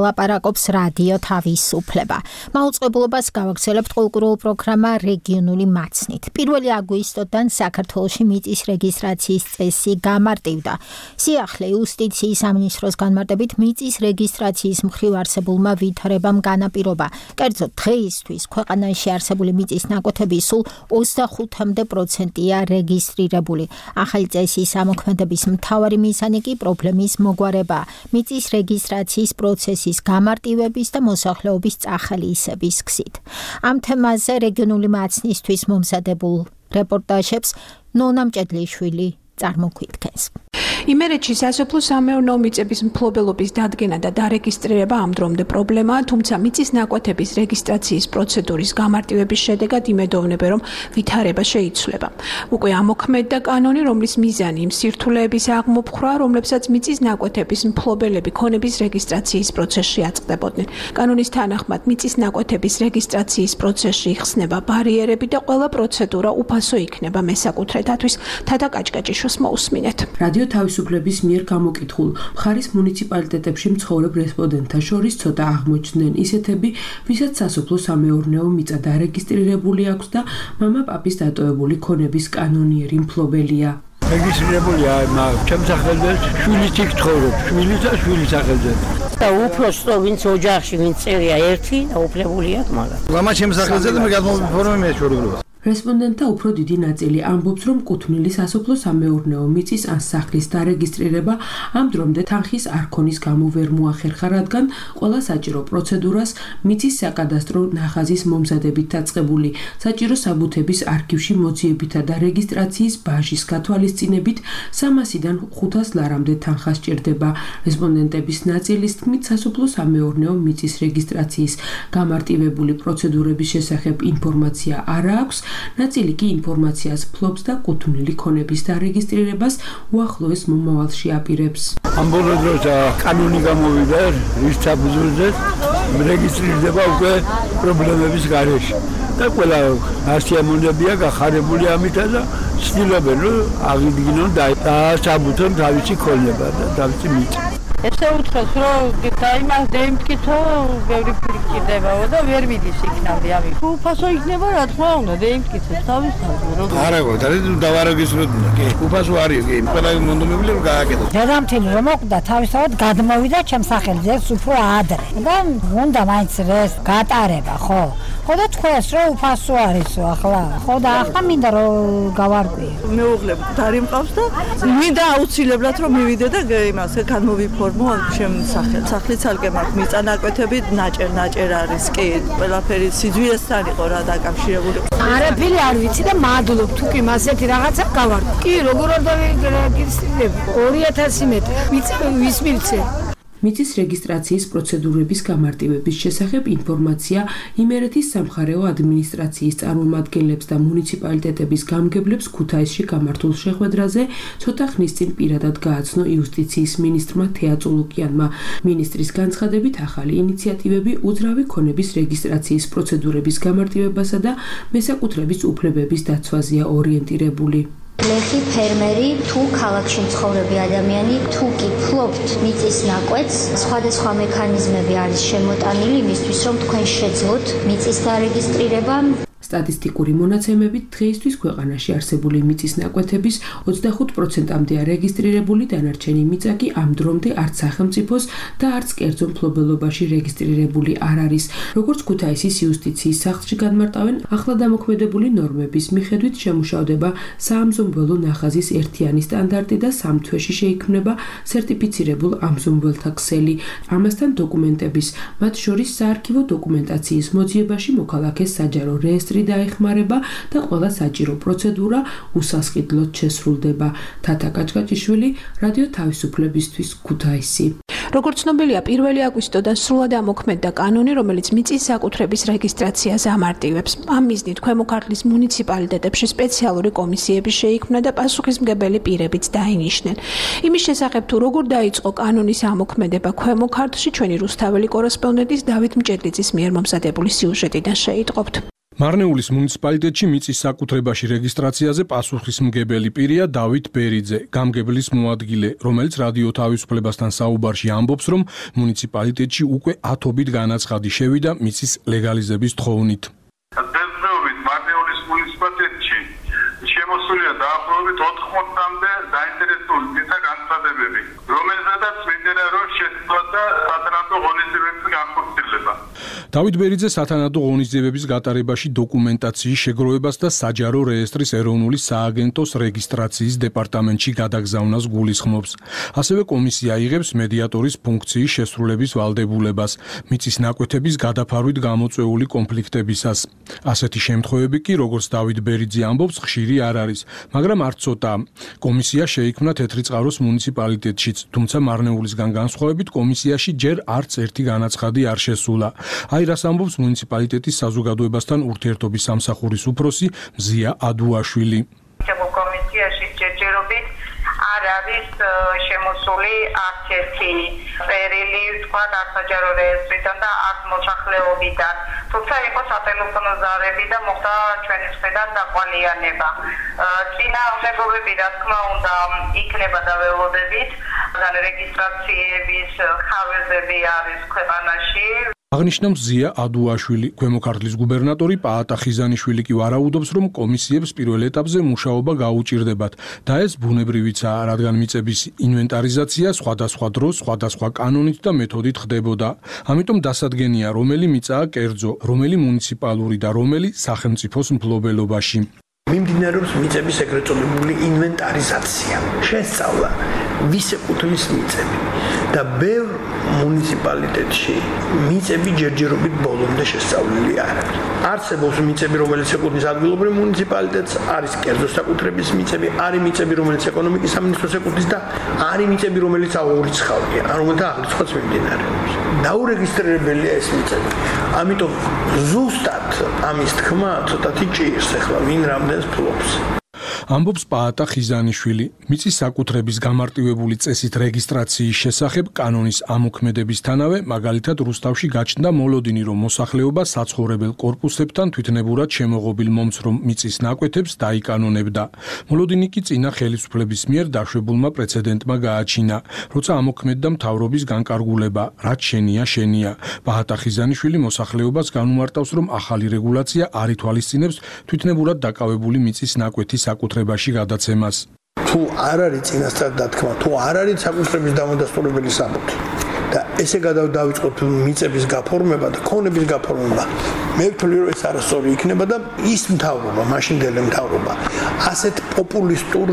ლაპარაკობს რადიო თავისუფლება. მაუწყებლობას გავაგრძელებთ კულტურულ პროგრამა რეგიონული მაცნით. 1 აგვისტოდან საქართველოში მიწის რეგისტრაციის წესი გამარტივდა. სიახლე იუსტიციის სამინისტროს განმარტებით მიწის რეგისტრაციის მხრივ არსებულმა ვითარებამ განაპირობა. კერძოდ დღეისთვის ქვეყანაში არსებული მიწის ნაკვეთების სულ 25%-ია რეგისტრირებული. ახალი წესის ამოქმედების მთავარი მიზანი კი პრობლემის მოგვარება, მიწის რეგისტრაციის პროცესის გამარტივების და მოსახლეობის წახალისების გზით. ამ თემაზე რეგიონული მაცნისთვის მომზადებულ რეპორტაჟებს ნონა მჭედლიშვილი წარმოგვიდგენს. იმერეთში სასოფლო-სამეურნეო მიწების მფლობელობის დადგენა და დარეგისტრირება ამ დრომდე პრობლემაა, თუმცა მიწის ნაკვეთების რეგისტრაციის პროცედურის გამარტივების შედეგად იმედოვნებენ, რომ ვითარება შეიცვლება. უკვე ამოქმედდა კანონი, რომლის მიზანი იმ სირთულეების აღმოფხვრა, რომლებსაც მიწის ნაკვეთების მფლობელები ქონების რეგისტრაციის პროცესში აწყდებოდნენ. კანონის თანახმად მიწის ნაკვეთების რეგისტრაციის პროცესში იხსნება ბარიერები და ყველა პროცედურა უფასო იქნება მესაკუთრეთათვის. თათა კაჭკაჭიშვილს მოусმინეთ. რადიო თავისუფლების მიერ გამოკითხულ მხარის მუნიციპალიტეტებში მცხოვრებ რესპონდენტთა შორის ცოტა აღმოჩნდნენ ისეთები, ვისაც სასოფლო-სამეურნეო მიწა დარეგისტრირებული აქვს და მამა პაპის დატოვებული ქონების კანონიერი მფლობელია. რეგისტრირებულია ჩემს სახელზე, შვილიც იქ ცხოვრობს, შვილიც და შვილის სახელზე. და უფროსო ვინც ოჯახში ვინც წერია ერთი და უფლებულია მაგრამ. მამა ჩემს სახელზე და მე გადმოვიფორმე მეშვეობლობას. რესპონდენტთა უფრო დიდი ნაწილი ამბობს, რომ კუთვნილი სასოფლო-სამეურნეო მიწის ან სახლის დარეგისტრირება ამ დრომდე თანხის არქონის გამო ვერ მოახერხა, რადგან ყველა საჭირო პროცედურას მიწის საკადასტრო ნახაზის მომზადებით დაწყებული, საჭირო საბუთების არქივში მოძიებითა და რეგისტრაციის ბაჟის გათვალისწინებით 300-დან 500 ლარამდე თანხა სჭირდება. რესპონდენტების ნაწილის თქმით, სასოფლო-სამეურნეო მიწის რეგისტრაციის გამარტივებული პროცედურების შესახებ ინფორმაცია არ აქვს. ნაწილი კი ინფორმაციას ფლობს და კუთვნილი ქონების დარეგისტრირებას უახლოეს მომავალში აპირებს. ამ ბოლო დროს კანონი გამოვიდა, რის საფუძველზე რეგისტრირდება უკვე პრობლემების გარეშე. და ყველა ასიამონებია გახარებული ამითა და ცდილობენ რომ აღიდგინონ და საბუთონ თავისი ქონება და თავისი მიწა. ესე უთხრეს რომ დაიმას დაიმტკიცო ბევრი ფერი კიდევაო და ვერ მიდის იქნამდე ამი. უფასო იქნება რა თქმა უნდა დაიმტკიცოს თავისთავად რომ არა გო დავარეგისტრირდა კი უფასო არის კი ყველა მონდომებული რომ გააკეთოს. დედამთილი რომ მოკვდა თავისთავად გადმოვიდა ჩემს სახელზე უფრო ადრე და უნდა მაინც ეს გატარება ხო და თქვენს რომ უფასო არისო ახლა ხო და ახლა მინდა რომ გავარკვიე. მეუღლე დარი მყავს და მინდა აუცილებლად რომ მივიდე და იმას განმოვიფო სახლის ცალკე მაქვს მიწა ნაკვეთები ნაჭერ არის კი ყველაფერი სიძვირესთან იყო რა დაკავშირებული. არაფერი არ ვიცი და მადლობ თუ კი მასეთი რაღაცა გავარკვი. კი როგორ არ დავეგისტრირებ 2000 მეტრი ვის მივცე. მიწის რეგისტრაციის პროცედურების გამარტივების შესახებ ინფორმაცია იმერეთის სამხარეო ადმინისტრაციის წარმომადგენლებს და მუნიციპალიტეტების გამგებლებს ქუთაისში გამართულ შეხვედრაზე ცოტა ხნის წინ პირადად გააცნო იუსტიციის მინისტრმა თეა წულუკიანმა. მინისტრის განცხადებით ახალი ინიციატივები უძრავი ქონების რეგისტრაციის პროცედურების გამარტივებასა და მესაკუთრების უფლებების დაცვაზეა ორიენტირებული. ლეხი ფერმერი თუ ქალაქში მცხოვრები ადამიანი თუ კი ფლობთ მიწის ნაკვეთს, სხვადასხვა მექანიზმები არის შემოტანილი იმისთვის, რომ თქვენ შეძლოთ მიწის დარეგისტრირება. სტატისტიკური მონაცემებით დღეისთვის ქვეყანაში არსებული მიწის ნაკვეთების 25%-მდეა რეგისტრირებული, დანარჩენი მიწა კი ამ დრომდე არც სახელმწიფოს და არც კერძო მფლობელობაში რეგისტრირებული არ არის. როგორც ქუთაისის იუსტიციის სახლში განმარტავენ, ახლად ამოქმედებული ნორმების მიხედვით შემუშავდება საამზომველო ნახაზის ერთიანი სტანდარტი და 3 თვეში შეიქმნება სერტიფიცირებულ ამზომველთა ქსელი. ამასთან დოკუმენტების, მათ შორის საარქივო დოკუმენტაციის მოძიებაში მოქალაქეს საჯარო რეესტრი დაეხმარება და ყველა საჭირო პროცედურა უსასყიდლოდ შესრულდება. თათა კაჭკაჭიშვილი, რადიო თავისუფლებისთვის, ქუთაისი. როგორც ცნობილია, 1 აგვისტოდან სრულად ამოქმედდა კანონი, რომელიც მიწის საკუთრების რეგისტრაციას ამარტივებს. ამ მიზნით ქვემო ქართლის მუნიციპალიტეტებში სპეციალური კომისიები შეიქმნა და პასუხისმგებელი პირებიც დაინიშნენ. იმის შესახებ თუ როგორ დაიწყო კანონის ამოქმედება ქვემო ქართლში, ჩვენი რუსთაველი კორესპონდენტის დავით მჭედლიძის მიერ მომზადებული სიუჟეტიდან შეიტყობთ. მარნეულის მუნიციპალიტეტში მიწის საკუთრებაში რეგისტრაციაზე პასუხისმგებელი პირია დავით ბერიძე, გამგებლის მოადგილე, რომელიც რადიო თავისუფლებასთან საუბარში ამბობს, რომ მუნიციპალიტეტში უკვე 10-ობით განაცხადი შევიდა მიწის ლეგალიზების თხოვნით. მარნეულის მუნიციპალიტეტში შემოსულია დაახლოებით 80-მდე დაინტერესებული მიწა განცხადებები, რომელზედაც მინდა რომ შეცვალა სათანადო ღონისძიებების განხორციელება. დავით ბერიძე სათანადო ღონისძიებების გატარებაში დოკუმენტაციის შეგროვებას და საჯარო რეესტრის ეროვნული სააგენტოს რეგისტრაციის დეპარტამენტში გადაგზავნას გულისხმობს. ასევე კომისია იღებს მედიატორის ფუნქციის შესრულების ვალდებულებას, მიწის ნაკვეთების გადაფარვით გამოწვეული კონფლიქტებისას. ასეთი შემთხვევები კი, როგორც დავით ბერიძე ამბობს, ხშირი არ არის, მაგრამ არ ცოტა. კომისია შეიქმნა თეთრიწყაროს მუნიციპალიტეტშიც, თუმცა მარნეულისგან განსხვავებით კომისიაში ჯერ არც ერთი განაცხადი არ შესულა. აი რას ამბობს მუნიციპალიტეტის საზოგადოებასთან ურთიერთობის სამსახურის უფროსი მზია ადუაშვილი. კომისიაში ჯერჯერობით არ არის შემოსული არც ერთი წერილი, თქვა საჯარო რეესტრიდან და არც მოსახლეობიდან. თუმცა იყო სატელეფონო ზარები და მოხდა ჩვენი მხრიდან დაყვალიანება. წინააღმდეგობები, რა თქმა უნდა, იქნება და ველოდებით. რეგისტრაციების ხარვეზები არის ქვეყანაში. აღნიშნავს ზია ადუაშვილი. ქვემო ქართლის გუბერნატორი პაატა ხიზანიშვილი კი ვარაუდობს, რომ კომისიებს პირველ ეტაპზე მუშაობა გაუჭირდებათ და ეს ბუნებრივიცაა, რადგან მიწების ინვენტარიზაცია სხვადასხვა დროს, სხვადასხვა კანონით და მეთოდით ხდებოდა. ამიტომ დასადგენია, რომელი მიწაა კერძო, რომელი მუნიციპალური და რომელი სახელმწიფოს მფლობელობაში. მიმდინარეობს მიწების ეგრეთ წოდებული ინვენტარიზაცია. შესწავლა ვის ეკუთვნის მიწები და ბევრ მუნიციპალიტეტში მიწები ჯერჯერობით ბოლომდე შესწავლილი არ არის. არსებობს მიწები, რომელიც ეკუთვნის ადგილობრივ მუნიციპალიტეტს, არის კერძო საკუთრების მიწები, არის მიწები, რომელიც ეკონომიკის სამინისტროს ეკუთვნის და არის მიწები, რომელიც აურიცხავია, რომელთა აღრიცხვაც მიმდინარეობს. დაურეგისტრირებელია ეს მიწები. ამიტომ ზუსტად ამის თქმა ცოტათი ჭირს ახლა ვინ რამდენს ფლობს. ამბობს პაატა ხიზანიშვილი. მიწის საკუთრების გამარტივებული წესით რეგისტრაციის შესახებ კანონის ამოქმედებისთანავე, მაგალითად რუსთავში გაჩნდა მოლოდინი, რომ მოსახლეობა საცხოვრებელ კორპუსებთან თვითნებურად შემოღობილ მომცრომ მიწის ნაკვეთებს დაიკანონებდა. მოლოდინი კი წინა ხელისუფლების მიერ დაშვებულმა პრეცედენტმა გააჩინა, როცა ამოქმედდა მთავრობის განკარგულება, რაც შენია. პაატა ხიზანიშვილი მოსახლეობას განუმარტავს, რომ ახალი რეგულაცია არ ითვალისწინებს თვითნებურად დაკავებული მიწის ნაკვეთის საკუთრებაში გადაცემას. თუ არ არის წინასწარ დათქმა, თუ არ არის საკუთრების დამადასტურებელი საბუთი და ესე გადავიწყოთ მიწების გაფორმება და ქონების გაფორმება, მე ვთვლი რომ ეს არასწორი იქნება და ის მთავრობა, მაშინდელი მთავრობა ასეთ პოპულისტურ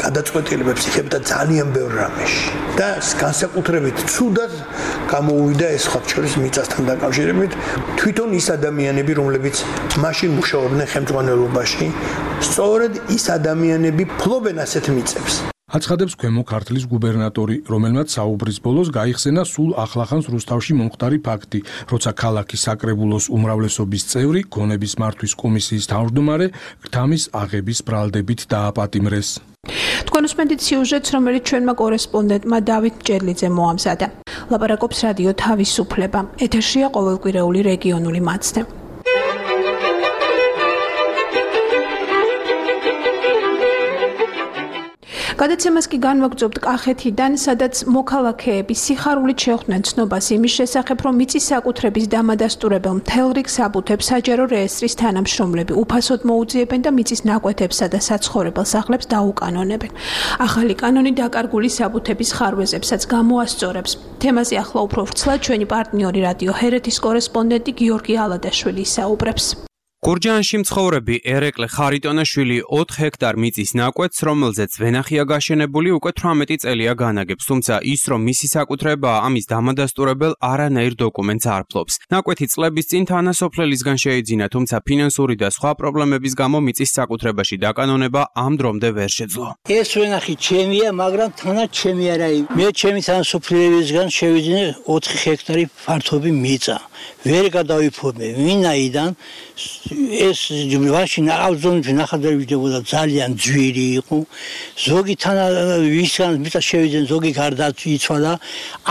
გადაწყვეტილებებს იღებდა ძალიან ბევრ რამეში და განსაკუთრებით ცუდად გამოუვიდა ეს ხოთ შორის მიწასთან დაკავშირებით თვითონ ის ადამიანები, რომლებიც მაშინ მუშაობდნენ ხელმძღვანელობაში, სწორედ ის ადამიანები ფლობენ ასეთ მიწებს. აცხადებს ქვემო ქართლის გუბერნატორი, რომელმაც საუბრის ბოლოს გაიხსენა სულ ახლახანს რუსთავში მომხდარი ფაქტი, როცა ქალაქის საკრებულოს უმრავლესობის წევრი ქონების მართვის კომისიის თავმჯდომარე გრთამის აღების ბრალდებით დააპატიმრეს. თქვენ უსმენთ სიუჟეტს, რომელიც ჩვენმა კორესპონდენტმა დავით მჭედლიძემ მოამზადა. ლაპარაკობს რადიო თავისუფლება. ეთერშია ყოველკვირეული რეგიონული მაცდე. გადაცემას კი განვაგრძობთ კახეთიდან, სადაც მოქალაქეები სიხარულით შეხვდნენ ცნობას იმის შესახებ, რომ მიწის საკუთრების დამადასტურებელ მთელ რიგ საბუთებს საჯარო რეესტრის თანამშრომლები უფასოდ მოუძიებენ და მიწის ნაკვეთებსა და საცხოვრებელ სახლებს დაუკანონებენ. ახალი კანონი დაკარგული საბუთების ხარვეზებსაც გამოასწორებს. თემაზე ახლა უფრო ვრცლად ჩვენი პარტნიორი რადიო ჰერეთის კორესპონდენტი გიორგი ალადაშვილი ისაუბრებს. გურჯაანში მცხოვრები ერეკლე ხარიტონაშვილი 4 ჰექტარ მიწის ნაკვეთს, რომელზეც ვენახია გაშენებული, უკვე 18 წელია განაგებს, თუმცა ის, რომ მისი საკუთრებაა, ამის დამადასტურებელ არანაირ დოკუმენტს არ ფლობს. ნაკვეთი წლების წინ თანასოფლელისგან შეიძინა, თუმცა ფინანსური და სხვა პრობლემების გამო მიწის საკუთრებაში დაკანონება ამ დრომდე ვერ შეძლო. ეს ვენახი ჩემია, მაგრამ თანაც ჩემი არა. მე ჩემი თანასოფლელებისგან შევიძინე 4 ჰექტარი ფართობი მიწა. ვერ გადავიფორმე, ვინაიდან ეს მაშინ აუზონი ნახადრებიდებოდა ძალიან ძვირი იყო. ზოგი თან ვისგან მიწა შევიდნენ, ზოგი გარდაცვლა.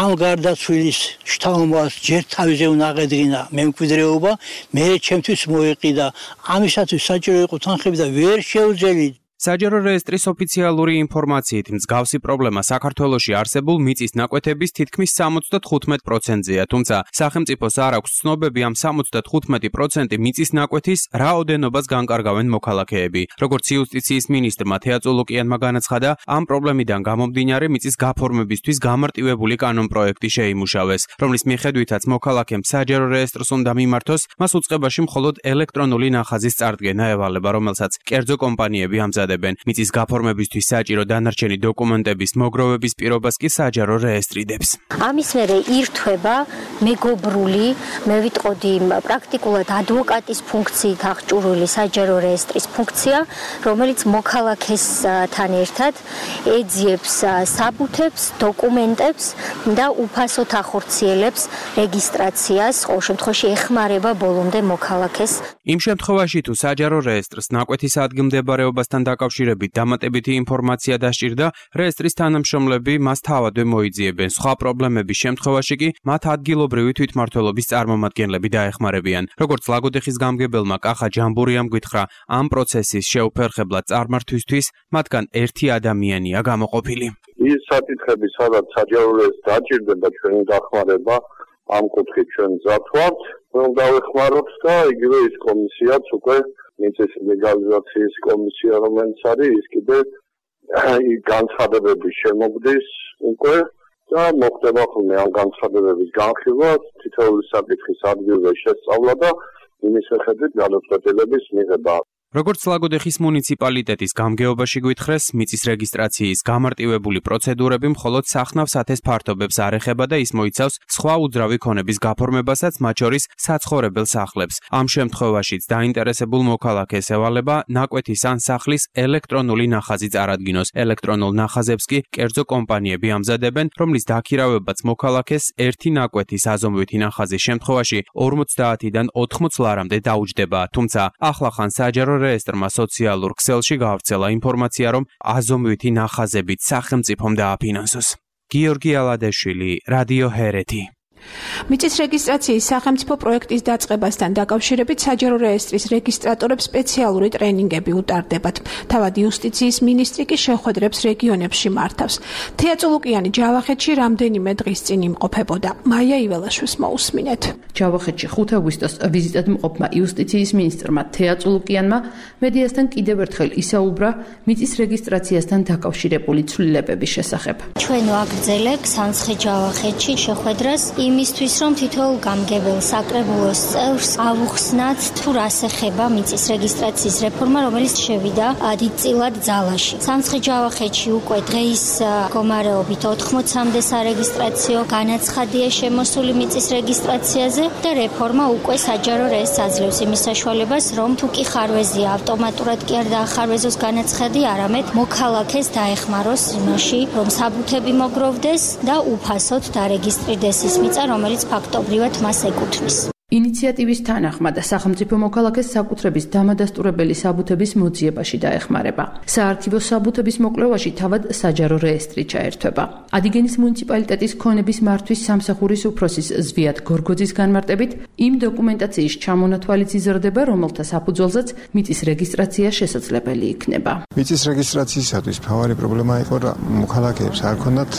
ამ გარდაცვლის შთამომავალს ჯერ თავზე უნდა აღედგინა მემკვიდრეობა, მე ჩემთვის მოეყიდა. ამისათვის საჭირო იყო თანხები და ვერ შეუძლია. საჯარო რეესტრის ოფიციალური ინფორმაციით მსგავსი პრობლემა საქართველოში არსებულ მიწის ნაკვეთების თითქმის 75%-ზეა, თუმცა სახელმწიფოს არ აქვს ცნობები ამ 75% მიწის ნაკვეთის რაოდენობას განკარგავენ მოქალაქეები. როგორც იუსტიციის მინისტრმა თეაწულუკიანმა განაცხადა, ამ პრობლემიდან გამომდინარე მიწის გაფორმებისთვის გამარტივებული კანონპროექტი შეიმუშავეს, რომლის მიხედვითაც მოქალაქემ საჯარო რეესტრს უნდა მიმართოს, მას უწყებაში მხოლოდ ელექტრონული ნახაზის წარდგენა ევალება, რომელსაც კერძო კომპანიები ამზადებენ. მიწის გაფორმებისთვის საჭირო დანარჩენი დოკუმენტების მოგროვების პირობას კი საჯარო რეესტრი დებს. ამის მერე ირთვება მეგობრული, მე ვიტყოდი პრაქტიკულად ადვოკატის ფუნქციით აღჭურვილი საჯარო რეესტრის ფუნქცია, რომელიც მოქალაქესთან ერთად ეძიებს საბუთებს, დოკუმენტებს და უფასოდ ახორციელებს რეგისტრაციას, ყოველ შემთხვევაში ეხმარება ბოლომდე მოქალაქეს. იმ შემთხვევაში თუ საჯარო რეესტრს ნაკვეთის ადგილმდებარეობასთან დაკავშირებით დამატებითი ინფორმაცია დასჭირდა, რეესტრის თანამშრომლები მას თავადვე მოიძიებენ. სხვა პრობლემების შემთხვევაში კი მათ ადგილობრივი თვითმმართველობის წარმომადგენლები დაეხმარებიან. როგორც ლაგოდეხის გამგებელმა კახა ჯამბურიამ გითხრა, ამ პროცესის შეუფერხებლად წარმართვისთვის მათგან ერთი ადამიანია გამოყოფილი. ის საკითხები, სადაც საჯარო რეესტრს დაჭირდება და ჩვენი დახმარება, ამ კუთხით ჩვენ მზად ვართ, რომ დავეხმაროთ და იგივე ის კომისიაც უკვე მიწის ლეგალიზაციის კომისია, რომელიც არის, ის კიდე განცხადებების შემოგდის უკვე და მოხდება ხოლმე ამ განცხადებების განხილვა, თითოეული საკითხის ადგილზე შესწავლა და იმის მიხედვით გადაწყვეტილების მიღება. როგორც ლაგოდეხის მუნიციპალიტეტის გამგეობაში გვითხრეს, მიწის რეგისტრაციის გამარტივებული პროცედურები მხოლოდ სახნავ სათეს ფართობებს არ ეხება და ის მოიცავს სხვა უძრავი ქონების გაფორმებასაც, მათ შორის საცხოვრებელ სახლებს. ამ შემთხვევაშიც დაინტერესებულ მოქალაქეს ევალება ნაკვეთის ან სახლის ელექტრონული ნახაზი წარადგინოს. ელექტრონულ ნახაზებს კი კერძო კომპანიები ამზადებენ, რომლის დაქირავებაც მოქალაქეს ერთი ნაკვეთის აზომვითი ნახაზის შემთხვევაში 50-დან 80 ლარამდე დაუჯდება. თუმცა ახლახან საჯარო რეესტრმა სოციალურ ქსელში გავრცელა ინფორმაცია, რომ აზომვითი ნახაზებით სახელმწიფომ დააფინანსოს. გიორგი ალადეშვილი, რადიო ჰერეთი. მიწის რეგისტრაციის სახელმწიფო პროექტის დაწყებასთან დაკავშირებით საჯარო რეესტრის რეგისტრატორებს სპეციალური ტრენინგები უტარდებათ. თავად იუსტიციის მინისტრი კი შეხვედრებს რეგიონებში მართავს. თეაწულუკიანი ჯავახეთში რამდენიმე დღის წინ იმყოფებოდა. მაია იველაშვილს მოусმინეთ. ჯავახეთში 5 აგვისტოს ვიზიტად მყოფმა იუსტიციის მინისტრმა თეაწულუკიანმა მედიასთან კიდევ ერთხელ ისაუბრა მიწის რეგისტრაციასთან დაკავშირებული ცვლილებების შესახებ. ჩვენ ვაგრძელებთ სამცხე ჯავახეთში შეხვედრას იმისთვის, რომ თითოეულ გამგებელ საკრებულოს წევრს ავუხსნათ თუ რას ეხება მიწის რეგისტრაციის რეფორმა, რომელიც შევიდა დიდწილად ძალაში. სამცხე ჯავახეთში უკვე დღეის მდგომარეობით 80-მდე სარეგისტრაციო განაცხადია შემოსული მიწის რეგისტრაციაზე და რეფორმა უკვე საჯარო რეესტრს აძლევს იმის საშუალებას, რომ თუ კი ხარვეზია ავტომატურად კი არ დაახარვეზოს განაცხადი, არამედ მოქალაქეს დაეხმაროს იმაში, რომ საბუთები მოგროვდეს და უფასოდ დარეგისტრირდეს ის მიწა, რომელიც ფაქტობრივად მას ეკუთვნის. ინიციატივის თანახმად სახელმწიფო მოქალაქეს საკუთრების დამადასტურებელი საბუთების მოძიებაში დაეხმარება. საარქივო საბუთების მოკვლევაში თავად საჯარო რეესტრი ჩაერთვება. ადიგენის მუნიციპალიტეტის ქონების მართვის სამსახურის უფროსის ზვიად გორგოძის განმარტებით, იმ დოკუმენტაციის ჩამონათვალიც იზრდება, რომელთა საფუძველზეც მიწის რეგისტრაცია შესაძლებელი იქნება. მიწის რეგისტრაციისათვის მთავარი პრობლემა იყო, რომ მოქალაქეებს არ ჰქონდათ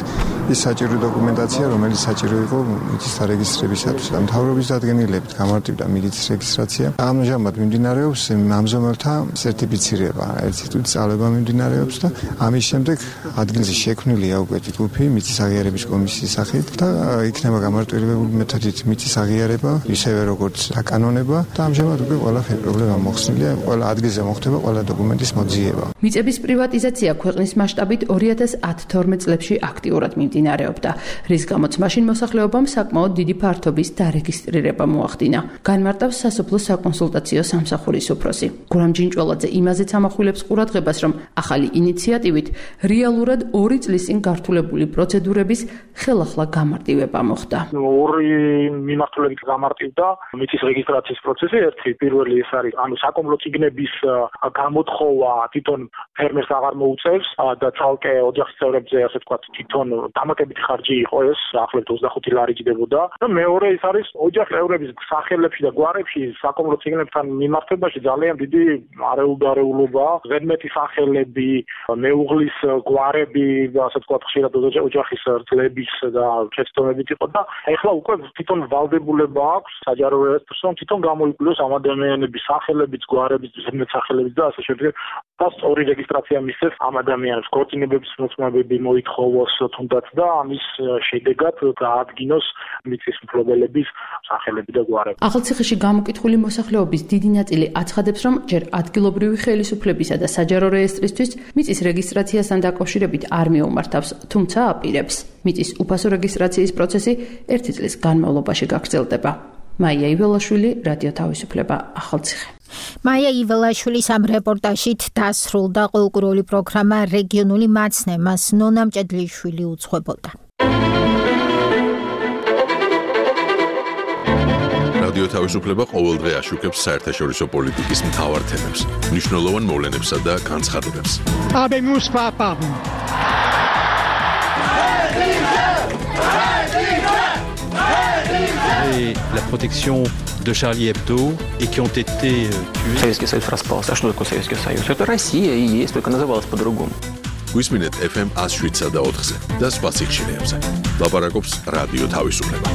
ის საჭირო დოკუმენტაცია, რომელიც საჭირო იყო მიწის დარეგისტრირებისათვის. მთავრობის დადგენილებით გამარტივდა მიწის რეგისტრაცია. ამჟამად მიმდინარეობს ამზომელთა სერტიფიცირება, ერთი თვით სწავლება მიმდინარეობს და ამის შემდეგ ადგილზე შექმნილია უკვე ჯგუფი მიწის აღიარების კომისიის სახით და იქნება გამარტივებული მეთოდით მიწის აღიარება, ისევე როგორც დაკანონება და ამჟამად უკვე ყველაფერი პრობლემა მოხსნილია, ყველა ადგილზე მოხდება ყველა დოკუმენტის მოძიება. მიწების პრივატიზაცია ქვეყნის მასშტაბით 2010-12 წლებში აქტიურად მიმდინარეობდა, რის გამოც მაშინ მოსახლეობამ საკმაოდ დიდი ფართობის დარეგისტრირება მოახერხა. მოახდინა. განმარტავს სასოფლო საკონსულტაციო სამსახურის უფროსი. გურამ ჯინჭველაძე იმაზეც ამახვილებს ყურადღებას, რომ ახალი ინიციატივით რეალურად 2 წლის წინ გართულებული პროცედურების ხელახლა გამარტივება მოხდა. ორი მიმართულებით გამარტივდა მიწის რეგისტრაციის პროცესი. ერთი პირველი ეს არის, საკომლო წიგნების გამოთხოვა თვითონ ფერმერს აღარ მოუწევს და ცალკე ოჯახის წევრებზე, ასე ვთქვათ, თვითონ დამატებითი ხარჯი იყო ეს, ახლობთ 25 ლარი ჯდებოდა. და მეორე ის არის ოჯახის წევრების სახელებში და გვარებში საკომლო წიგნებთან მიმართებაში ძალიან დიდი არეულობა, ზედმეტი სახელები, მეუღლის გვარები, ასე ვთქვათ, ხშირად ოჯახის ძლების და შეცდომებით იყო და ეხლა უკვე თვითონ ვალდებულება აქვს საჯარო რეესტრს, რომ თვითონ გამოიკვლიოს ამ ადამიანების სახელებიც, გვარებიც, ზედმეტ სახელებიც და ასე შემდეგ. და სწორი რეგისტრაცია მისცეს ამ ადამიანებს, ქორწინებების მოწმობები მოითხოვოს თუნდაც და ამის შედეგად გაადგინოს მიწის მფლობელების სახელები და გვარები. ახალციხეში გამოკითხული მოსახლეობის დიდი ნაწილი აცხადებს, რომ ჯერ ადგილობრივი ხელისუფლებისა და საჯარო რეესტრისთვის მიწის რეგისტრაციასთან დაკავშირებით არ მიუმართავს, თუმცა აპირებს. მიწის უფასო რეგისტრაციის პროცესი 1 წლის განმავლობაში გაგრძელდება. მაია იველაშვილი, რადიო თავისუფლება, ახალციხე. მაია იველაშვილის ამ რეპორტაჟით დასრულდა ყოველკვირეული პროგრამა რეგიონული მაცნემას ნონა მჭედლიშვილი უძღვებოდა. რადიო თავისუფლება ყოველდღე აშუქებს საერთაშორისო პოლიტიკის მთავარ თემებს, მნიშვნელოვან მოვლენებსა და განცხადებებს. La protection de Charlie Hebdo et qui ont été tués. Советский Союз распался. А что такое Советский Союз? Это Россия и есть, только называлась по-другому. Გვისმინეთ FM 107 და 4-ზე და სხვა სიხშირეებზე. ლაპარაკობს რადიო თავისუფლება.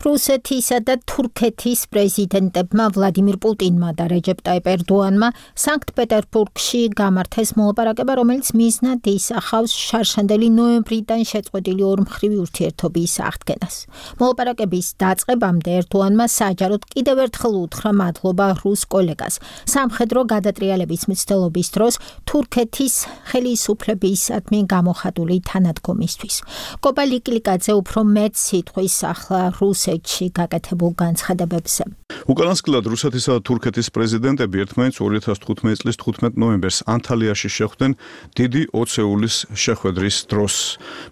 რუსეთისა და თურქეთის პრეზიდენტებმა ვლადიმირ პუტინმა და რეჯეპ ტაიპ ერდოანმა სანქტ-პეტერბურგში გამართეს მოლაპარაკება, რომელიც მიზნად ისახავს შარშანდელი ნოემბრიდან შეწყვეტილი ორმხრივი ურთიერთობის აღდგენას. მოლაპარაკების დაწყებამდე ერდოანმა საჯაროდ კიდევ ერთხელ უთხრა მადლობა რუს კოლეგას. სამხედრო გადატრიალების მცდელობის დროს თურქეთის ხელისუფლებისადმი გამოხატული თანადგომისთვის. კოპა ლიკლიკაძე უფრო მეტ სიტყვის ახლა რუსეთში გაკეთებულ განცხადებებზე. უკანასკნელად რუსეთისა და თურქეთის პრეზიდენტები ერთმანეთს 2015 წლის 15 ნოემბერს ანტალიაში შეხვდნენ დიდი ოცეულის შეხვედრის დროს.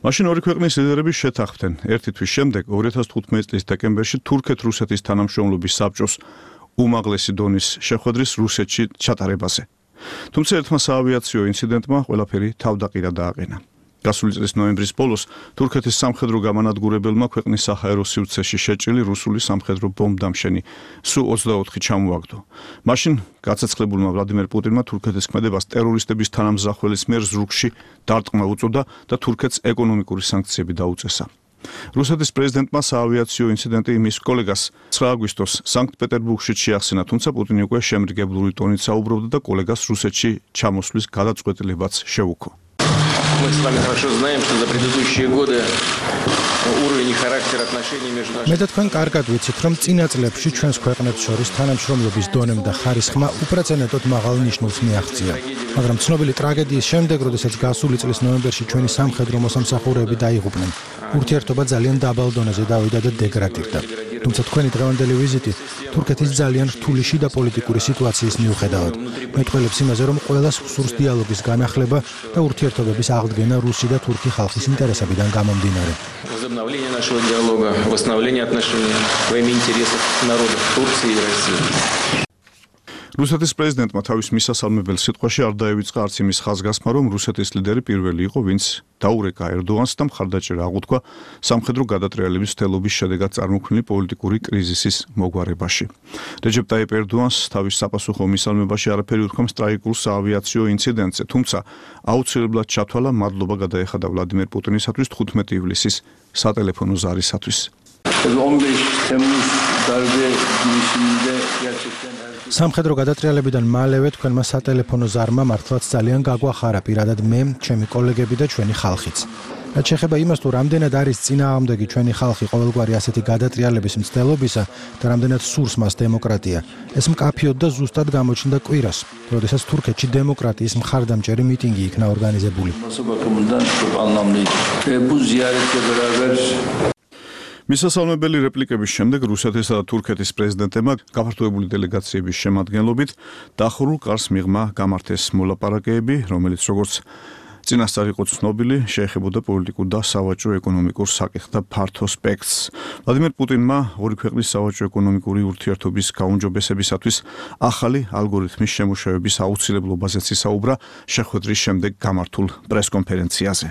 მაშინ ორი ქვეყნის ლიდერები შეთანხმდნენ ერთი თვის შემდეგ 2015 წლის დეკემბერში თურქეთ-რუსეთის თანამშრომლობის საბჭოს უმაღლესი დონის შეხვედრის რუსეთში ჩატარებაზე. თუმცა ერთმა საავიაციო ინციდენტმა ყველაფერი თავდაყირა დააყენა. გასული წლის ნოემბრის ბოლოს თურქეთის სამხედრო გამანადგურებელმა ქვეყნის საჰაერო სივრცეში შეჭრილი რუსული სამხედრო ბომბდამშენი Su-24 ჩამოაგდო. მაშინ გაცეცხლებულმა ვლადიმერ პუტინმა თურქეთის ქმედებას ტერორისტების თანამზახველის მიერ ზრუგში დარტყმა უწოდა და თურქეთს ეკონომიკური სანქციები დაუწესა. რუსეთის პრეზიდენტმა საავიაციო ინციდენტი მის კოლეგას 9 აგვისტოს სანქტ-პეტერბურგში შეახსენა, თუმცა პუტინი უკვე შემრიგებლური ტონით საუბრობდა და კოლეგას რუსეთში ჩამოსვლის გადაწყვეტილებაც შეუქო. Мы с вами хорошо знаем, что за предыдущие годы уровень и характер отношений между нашими მე და თქვენ კარგად ვიცით, რომ წინა წლებში ჩვენს ქვეყნებს შორის თანამშრომლობის დონემ და ხარისხმა უპრეცედენტოდ მაღალ ნიშნულს მიაღწია. მაგრამ ცნობილი ტრაგედიის შემდეგ, როდესაც გასული წლის ნოემბერში ჩვენი სამხედრო მოსამსახურეები დაიღუპნენ, ურთიერთობა ძალიან დაბალ დონეზე დავიდა და დეგრადირდა. თუმცა თქვენი დღევანდელი ვიზიტი თურქეთის ძალიან რთული შიდა პოლიტიკური სიტუაციის მიუხედავად მეტყველებს იმაზე, რომ ყველას სურს დიალოგის განახლება და ურთიერთობების აღდგენა რუსი და თურქი ხალხის ინტერესებიდან გამომდინარე. Возобновление нашего диалога, восстановление отношений во имя интересов народов Турции и России. რუსეთის პრეზიდენტმა თავის მისასალმებელ სიტყვაში არ დაევიწყა არც იმის ხაზგასმა, რომ რუსეთის ლიდერი პირველი იყო, ვინც დაურეკა ერდოანს და მხარდაჭერა აღუთქვა სამხედრო გადატრიალების მცდელობის შედეგად წარმოქმნილი პოლიტიკური კრიზისის მოგვარებაში. რეჯეპ ტაიპ ერდოანს თავის საპასუხო მისალმებაში არაფერი უთქვამს ტრაგიკულ საავიაციო ინციდენტზე, თუმცა აუცილებლად ჩათვალა მადლობა გადაეხადა ვლადიმერ პუტინისათვის 15 ივლისის სატელეფონო ზარისათვის. 15 თემუს დარბე გიშინდე gerçekten სამხედრო გადატრიალებიდან მალევე თქვენმა სატელეფონო ზარმა მართლაც ძალიან გაგვახარა პირადად მე, ჩემი კოლეგები და ჩვენი ხალხიც. რაც შეეხება იმას, თუ რამდენად არის წინააღმდეგი ჩვენი ხალხი ყოველგვარი ასეთი გადატრიალების მცდელობისა და რამდენად სურს მას დემოკრატია, ეს მკაფიოდ და ზუსტად გამოჩნდა კვირას, როდესაც თურქეთში დემოკრატიის მხარდამჭერი მიტინგი იქნა ორგანიზებული. მისასალმებელი რეპლიკების შემდეგ რუსეთისა და თურქეთის პრეზიდენტებმა გაფართოებული დელეგაციების შემადგენლობით დახურულ კარს მიღმა გამართეს მოლაპარაკებები, რომელიც როგორც წინასწარ იყო ცნობილი, შეეხებოდა პოლიტიკურ და სავაჭრო-ეკონომიკურ საკითხთა ფართო სპექტრს. ვლადიმერ პუტინმა ორი ქვეყნის სავაჭრო-ეკონომიკური ურთიერთობის გაუმჯობესებისათვის ახალი ალგორითმის შემუშავების აუცილებლობაზეც ისაუბრა შეხვედრის შემდეგ გამართულ პრესკონფერენციაზე.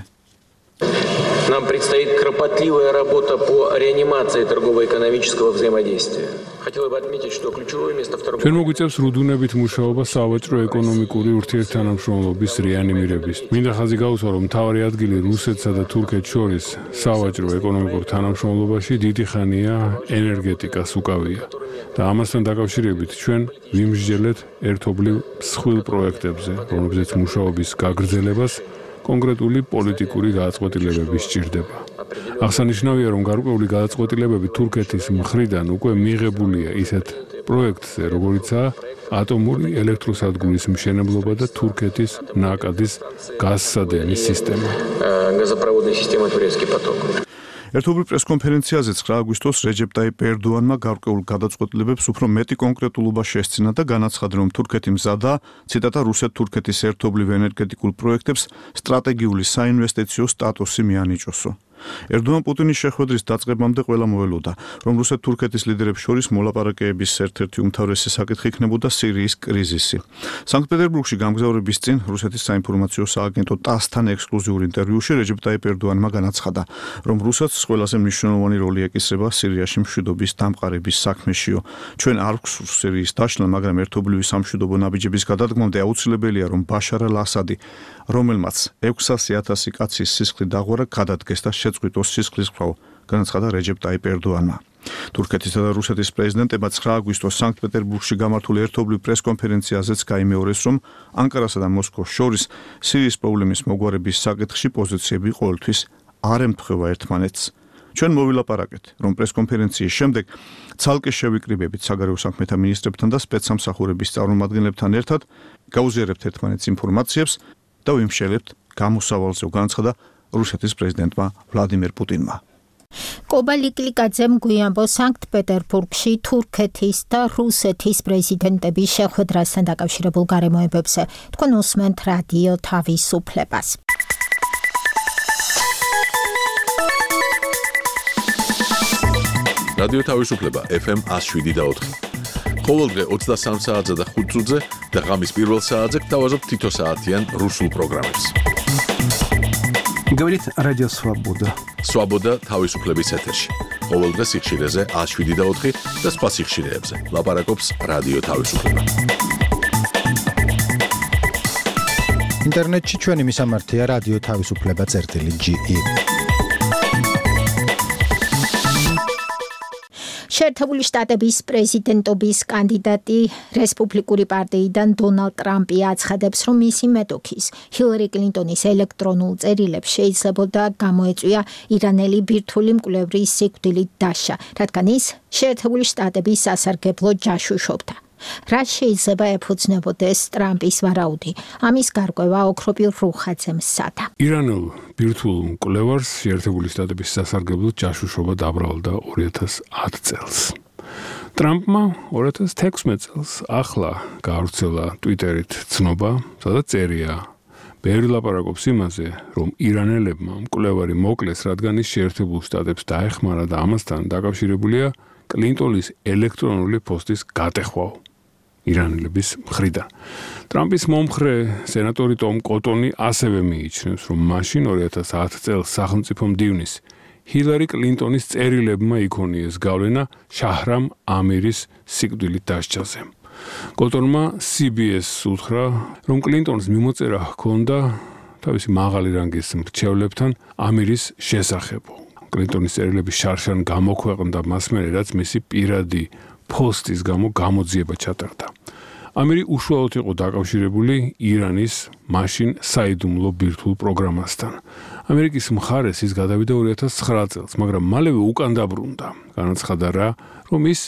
Нам предстоит кропотливая работа по реанимации торгово-экономического взаимодействия. Хотел бы отметить, что ключевое место в торговле. ჩვენ მოგვიწევს რუდუნებით მუშაობა სავაჭრო-ეკონომიკური ურთიერთთანამშრომლობის რეანიმირების. მინდა ხაზი გაუსვა, რომ მთავარი ადგილი რუსეთსა და თურქეთს შორის სავაჭრო-ეკონომიკურ თანამშრომლობაში დიდი ხანია ენერგეტიკას უკავია. და ამასთან დაკავშირებით ჩვენ ვიმსჯელეთ ერთობლივ მსხვილ პროექტებზე, რომლებზეც მუშაობის გაგრძელებას კონკრეტული პოლიტიკური გადაწყვეტილებები სჭირდება. აღსანიშნავია, რომ გარკვეული გადაწყვეტილებები თურქეთის მხრიდან უკვე მიღებულია ისეთ პროექტზე, როგორიცაა ატომური ელექტროსადგურის მშენებლობა და თურქეთის ნაკადის გაზსადენის სისტემა. Газопроводная система турецкий поток. ერთობლივ პრესკონფერენციაზე 9 აგვისტოს რეჯეპ ტაიპ ერდოანმა გარკვეულ გადაწყვეტილებებს უფრო მეტი კონკრეტულობა შესძინა და განაცხადა, რომ თურქეთი მზადაა, ციტატა, რუსეთ-თურქეთის ერთობლივ ენერგეტიკულ პროექტებს სტრატეგიული საინვესტიციო სტატუსი მიანიჭოსო. ერდოან პუტინის შეხვედრის დაწყებამდე ყველა მოელოდა, რომ რუსეთ-თურქეთის ლიდერებს შორის მოლაპარაკებების ერთ-ერთი უმთავრესი საკითხი იქნებოდა სირიის კრიზისი. სანქტ-პეტერბურგში გამგზავრების წინ რუსეთის საინფორმაციო სააგენტო TASS-თან ექსკლუზიურ ინტერვიუში რეჯეპ ტაიპ ერდოანმა განაცხადა, რომ რუსეთს ყველაზე მნიშვნელოვანი როლი ეკისრება სირიაში მშვიდობის დამყარების საქმეშიო. ჩვენ არ გვსურს სირიის დაშლა, მაგრამ ერთობლივი სამშვიდობო ნაბიჯების გადადგმამდე აუცილებელია, რომ ბაშარ ალ-ასადი, რომელმაც 600,000 კაცის სისხლი დაღვრა, გადადგეს და შეწყვიტოს სისხლისღვრა, განაცხადა რეჯეპ ტაიპ ერდოანმა. თურქეთისა და რუსეთის პრეზიდენტებმა 9 აგვისტოს სანქტ-პეტერბურგში გამართულ ერთობლივ პრესკონფერენციაზეც გაიმეორეს, რომ ანკარასა და მოსკოვს შორის სირიის პრობლემის მოგვარების საკითხში პოზიციები ყოველთვის არ ემთხვევა ერთმანეთს. ჩვენ მოვილაპარაკეთ, რომ პრესკონფერენციის შემდეგ ცალკე შევიკრიბებით საგარეო საქმეთა მინისტრებთან და სპეცსამსახურების წარმომადგენლებთან ერთად, გაუზიარებთ ერთმანეთს ინფორმაციებს და ვიმშელებთ გამოსავალზე, განაცხადა რუსეთის პრეზიდენტმა ვლადიმერ პუტინმა. კობა ლიკლიკაძემ გვიანბო სანქტ-პეტერბურგში თურქეთის და რუსეთის პრეზიდენტების შეხვედრასთან დაკავშირებულ გარემოებებზე. თქვენ უსმენთ რადიო თავისუფლებას. რადიო თავისუფლება FM 107.4. ყოველდღე 23 საათზე და 5 წუთზე და ღამის პირველ საათზე გთავაზობთ თითო საათიან რუსულ პროგრამებს. Говорит Радио Свобода. Свобода თავისუფლების ეთერში. ყოველდღე სიხშირეზე 107.4 და სხვა სიხშირეებზე. ლაპარაკობს რადიო თავისუფლება. ინტერნეტში ჩვენი მისამართია რადიო თავისუფლება.ge. შეერთებული შტატების პრეზიდენტობის კანდიდატი რესპუბლიკური პარტიიდან დონალდ ტრამპი აცხადებს, რომ მისი მეტოქის ჰილარი კლინტონის ელექტრონულ წერილებს შეიძლებოდა გამოეწვია ირანელი ბირთვული მკვლევრის სიკვდილით დასჯა, რადგან ის შეერთებული შტატების სასარგებლოდ ჯაშუშობდა. რა შეიძლება ეფუძნებოდეს ტრამპის ვარაუდი? ამის გარკვევა ოქროპილ რუხაძემ სადა. ირანულ ბირთვულ მკვლევარს შეერთებული შტატების სასარგებლოდ ჯაშუშობა დაბრალდა 2010 წელს. ტრამპმა 2016 წელს ახლა გაავრცელა ტვიტერით ცნობა, სადაც წერია: ბევრი ლაპარაკობს იმაზე, რომ ირანელებმა მკვლევარი მოკლეს, რადგან ის შეერთებულ შტატებს დაეხმარა და ამასთან დაკავშირებულია კლინტონის ელექტრონული პოსტის გატეხვა ირანელების მხრიდან. ტრამპის მომხრე სენატორი ტომ კოტონი ასევე მიიჩნევს, რომ მაშინ 2010 წელს სახელმწიფო მდივნის ჰილარი კლინტონის წერილებმა იქონიეს გავლენა შაჰრამ ამირის სიკვდილით დასჯაზე. კოტონმა CBS-ს უთხრა, რომ კლინტონს მიმოწერა ჰქონდა თავისი მაღალი რანგის მრჩევლებთან ამირის შესახებ. კლინტონის წერილების შარშან გამოქვეყნდა მას მერე, რაც მისი პირადი პოსტის გამო გამოძიება ჩატარდა. ამირი უშუალოდ იყო დაკავშირებული ირანის მაშინ საიდუმლო ბირთვულ პროგრამასთან. ამერიკის მხარეს ის გადავიდა 2009 წელს, მაგრამ მალევე უკან დაბრუნდა. განაცხადა რა, რომ ის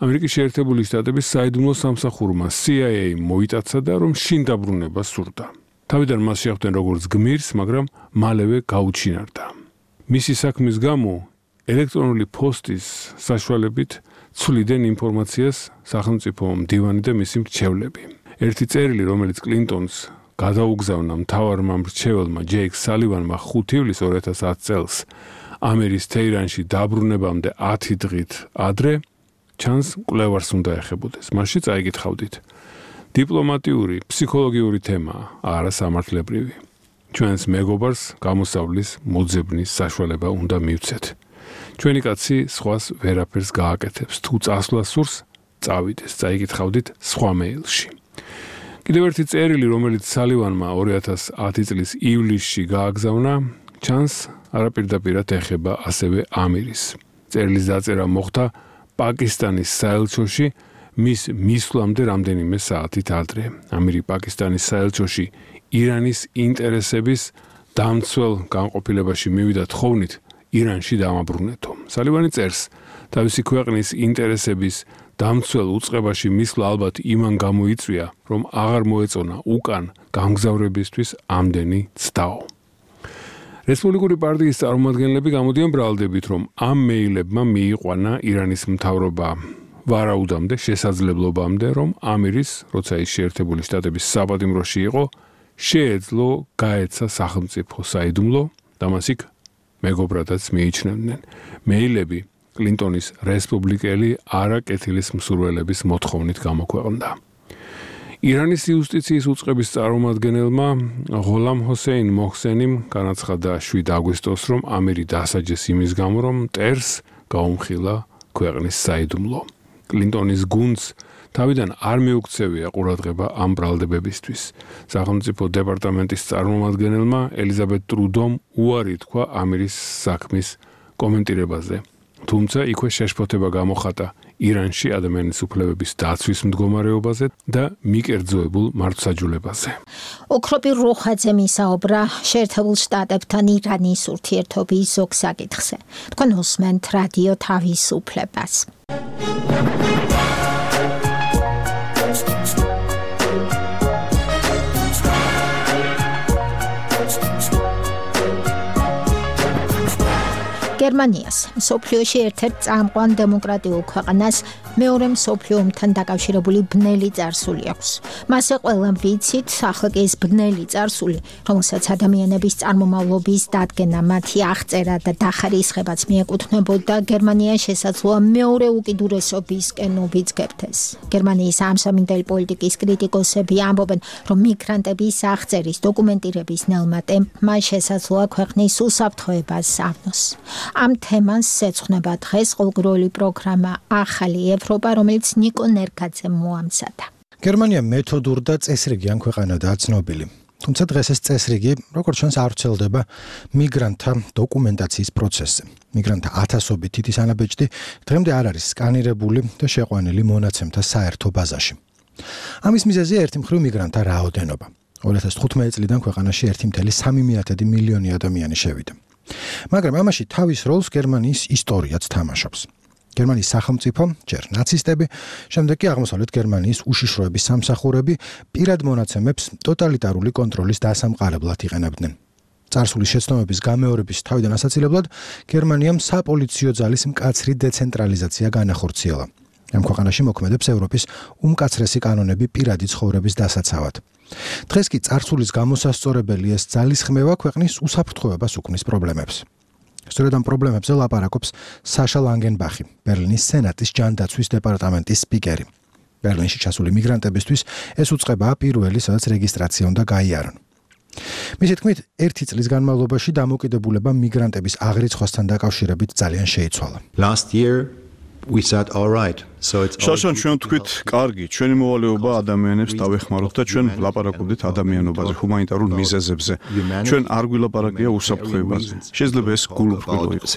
ამერიკის შეერთებული შტატების საიდუმლო სამსახურმა CIA მოიტაცა და რომ შინ დაბრუნება სურდა. თავიდან მას შეხვდნენ როგორც გმირს, მაგრამ მალევე გაუჩინარდა. მისი საქმის გამო ელექტრონული პოსტის საშუალებით ცვლიდნენ ინფორმაციას სახელმწიფო მდივანი და მისი მრჩევლები. ერთი წერილი, რომელიც კლინტონს გადაუგზავნა მთავარმა მრჩეველმა ჯეიკ სალივანმა 5 ივლისს 2010 წელს ამერის თეირანში დაბრუნებამდე 10 დღით ადრე, ჩანს კვლევარს უნდა ეხებოდეს. მასში წაიკითხავდით. დიპლომატიური, ფსიქოლოგიური თემაა, არა სამართლებრივი. ჩვენს მეგობარს გამოსავლის მოძებნის საშუალება უნდა მივცეთ. ჩვენი კაცი სხვას ვერაფერს გააკეთებს. თუ წასვლა სურს, წავიდეს, წაიკითხავდით სხვა მეილში. კიდევ ერთი წერილი, რომელიც სალივანმა 2010 წლის ივლისში გააგზავნა, ჩანს არაპირდაპირად ეხება ასევე ამირის. წერილის დაწერა მოხდა პაკისტანის საელჩოში მის მისვლამდე რამდენიმე საათით ადრე. ამირი პაკისტანის საელჩოში ირანის ინტერესების დამცველ განყოფილებაში მივიდა თხოვნით ირანში დამაბრუნეთო. სალივანი წერს, თავისი ქვეყნის ინტერესების დამცველ უწყებაში მისვლა ალბათ იმან გამოიწვია, რომ აღარ მოეწონა უკან გამგზავრებისთვის ამდენი ცდაო. რესპუბლიკური პარტიის წარმომადგენლები გამოდიან ბრალდებით, რომ ამ მეილებმა მიიყვანა ირანის მთავრობა ვარაუდამდე, შესაძლებლობამდე, რომ ამირის, როცა ის შეერთებული შტატების საპატიმროში იყო, შეეძლო გაეცა სახელმწიფო საიდუმლო და მას იქ მეგობრადაც მიიჩნევდნენ. მეილები კლინტონის რესპუბლიკელი არაკეთილის მსურველების მოთხოვნით გამოქვეყნდა. ირანის იუსტიციის უწყების წარმომადგენელმა ღოლამ ჰოსეინ მოჰსენიმ განაცხადა 7 აგვისტოს, რომ ამირი დასაჯეს იმის გამო, რომ მტერს გაუმხილა ქვეყნის საიდუმლო. კლინტონის გუნდს თავიდან არ მიუქცევია ყურადღება ამ ბრალდებებისთვის. სახელმწიფო დეპარტამენტის წარმომადგენელმა ელიზაბეთ ტრუდომ უარი თქვა ამირის საქმის კომენტირებაზე. თუმცა იქვე შეშფოთება გამოხატა ირანში ადამიანის უფლებების დაცვის მდგომარეობაზე და მიკერძოებულ მართლმსაჯულებაზე. ოქროპირ როხაძემ ისაუბრა შეერთებულ შტატებთან ირანის ურთიერთობის ზოგ საკითხზე. თქვენ უსმენთ რადიო თავისუფლებას. გერმანიას მსოფლიოში ერთ-ერთ წამყვან დემოკრატიულ ქვეყანას მეორე მსოფლიო ომთან დაკავშირებული ბნელი წარსული აქვს. მასზე ყველამ ვიცით, ახლა კი ეს ბნელი წარსული, რომელსაც ადამიანების წარმომავლობის დადგენა, მათი აღწერა და დახარისხებაც მიეკუთვნებოდა, გერმანია შესაძლოა მეორე უკიდურესობისკენ უბიძგებთ ეს. გერმანიის ამსამინდელი პოლიტიკის კრიტიკოსები ამბობენ, რომ მიგრანტების აღწერის დოკუმენტირების ნელმა ტემპმა შესაძლოა ქვეყნის უსაფრთხოებას ავნოს. ამ თემას ეძღვნება დღეს ყოველდღიური პროგრამა ახალი ევროპა, რომელიც ნიკო ნერგაძემ მოამზადა. გერმანია მეთოდურ და წესრიგიან ქვეყანადაა ცნობილი. თუმცა დღეს ეს წესრიგი, როგორც ჩანს, არ ვრცელდება მიგრანტთა დოკუმენტაციის პროცესზე. მიგრანტთა ათასობით თითის ანაბეჭდი დღემდე არ არის სკანირებული და შეყვანილი მონაცემთა საერთო ბაზაში. ამის მიზეზია ერთი მხრივ მიგრანტთა რაოდენობა. 2015 წლიდან ქვეყანაში 1,3 მილიონი ადამიანი შევიდა. მაგრამ ამაში თავის როლს გერმანიის ისტორიაც თამაშობს. გერმანიის სახელმწიფო, ჯერ ნაცისტები, შემდეგ კი აღმოსავლეთ გერმანიის უშიშროების სამსახურები პირად მონაცემებს ტოტალიტარული კონტროლის დასამყარებლად იყენებდნენ. წარსულის შეცდომების გამეორების თავიდან ასაცილებლად გერმანიამ საპოლიციო ძალის მკაცრი დეცენტრალიზაცია განახორციელა. ამ ქვეყანაში მოქმედებს ევროპის უმკაცრესი კანონები პირადი ცხოვრების დასაცავად. დღეს კი წარსულის გამოსასწორებელი ეს ძალისხმევა ქვეყნის უსაფრთხოებას უქმნის პრობლემებს. სწორედ ამ პრობლემებზე ლაპარაკობს საშა ლანგენბახი, ბერლინის სენატის ჯანდაცვის დეპარტამენტის სპიკერი. ბერლინში ჩასული მიგრანტებისთვის ეს უწყებაა პირველი, სადაც რეგისტრაცია უნდა გაიარონ. მისი თქმით, 1 წლის განმავლობაში დამოკიდებულება მიგრანტების აღრიცხვასთან დაკავშირებით ძალიან შეიცვალა. შაშან ჩვენ თქვით, კარგი, ჩვენი მოვალეობა ადამიანებს დავეხმაროთ და ჩვენ ვლაპარაკობდით ადამიანობაზე, ჰუმანიტარულ მიზეზებზე. ჩვენ არ გვილაპარაკია უსაფრთხოებაზე. შეიძლება ეს გულუბრყვილო იყოს.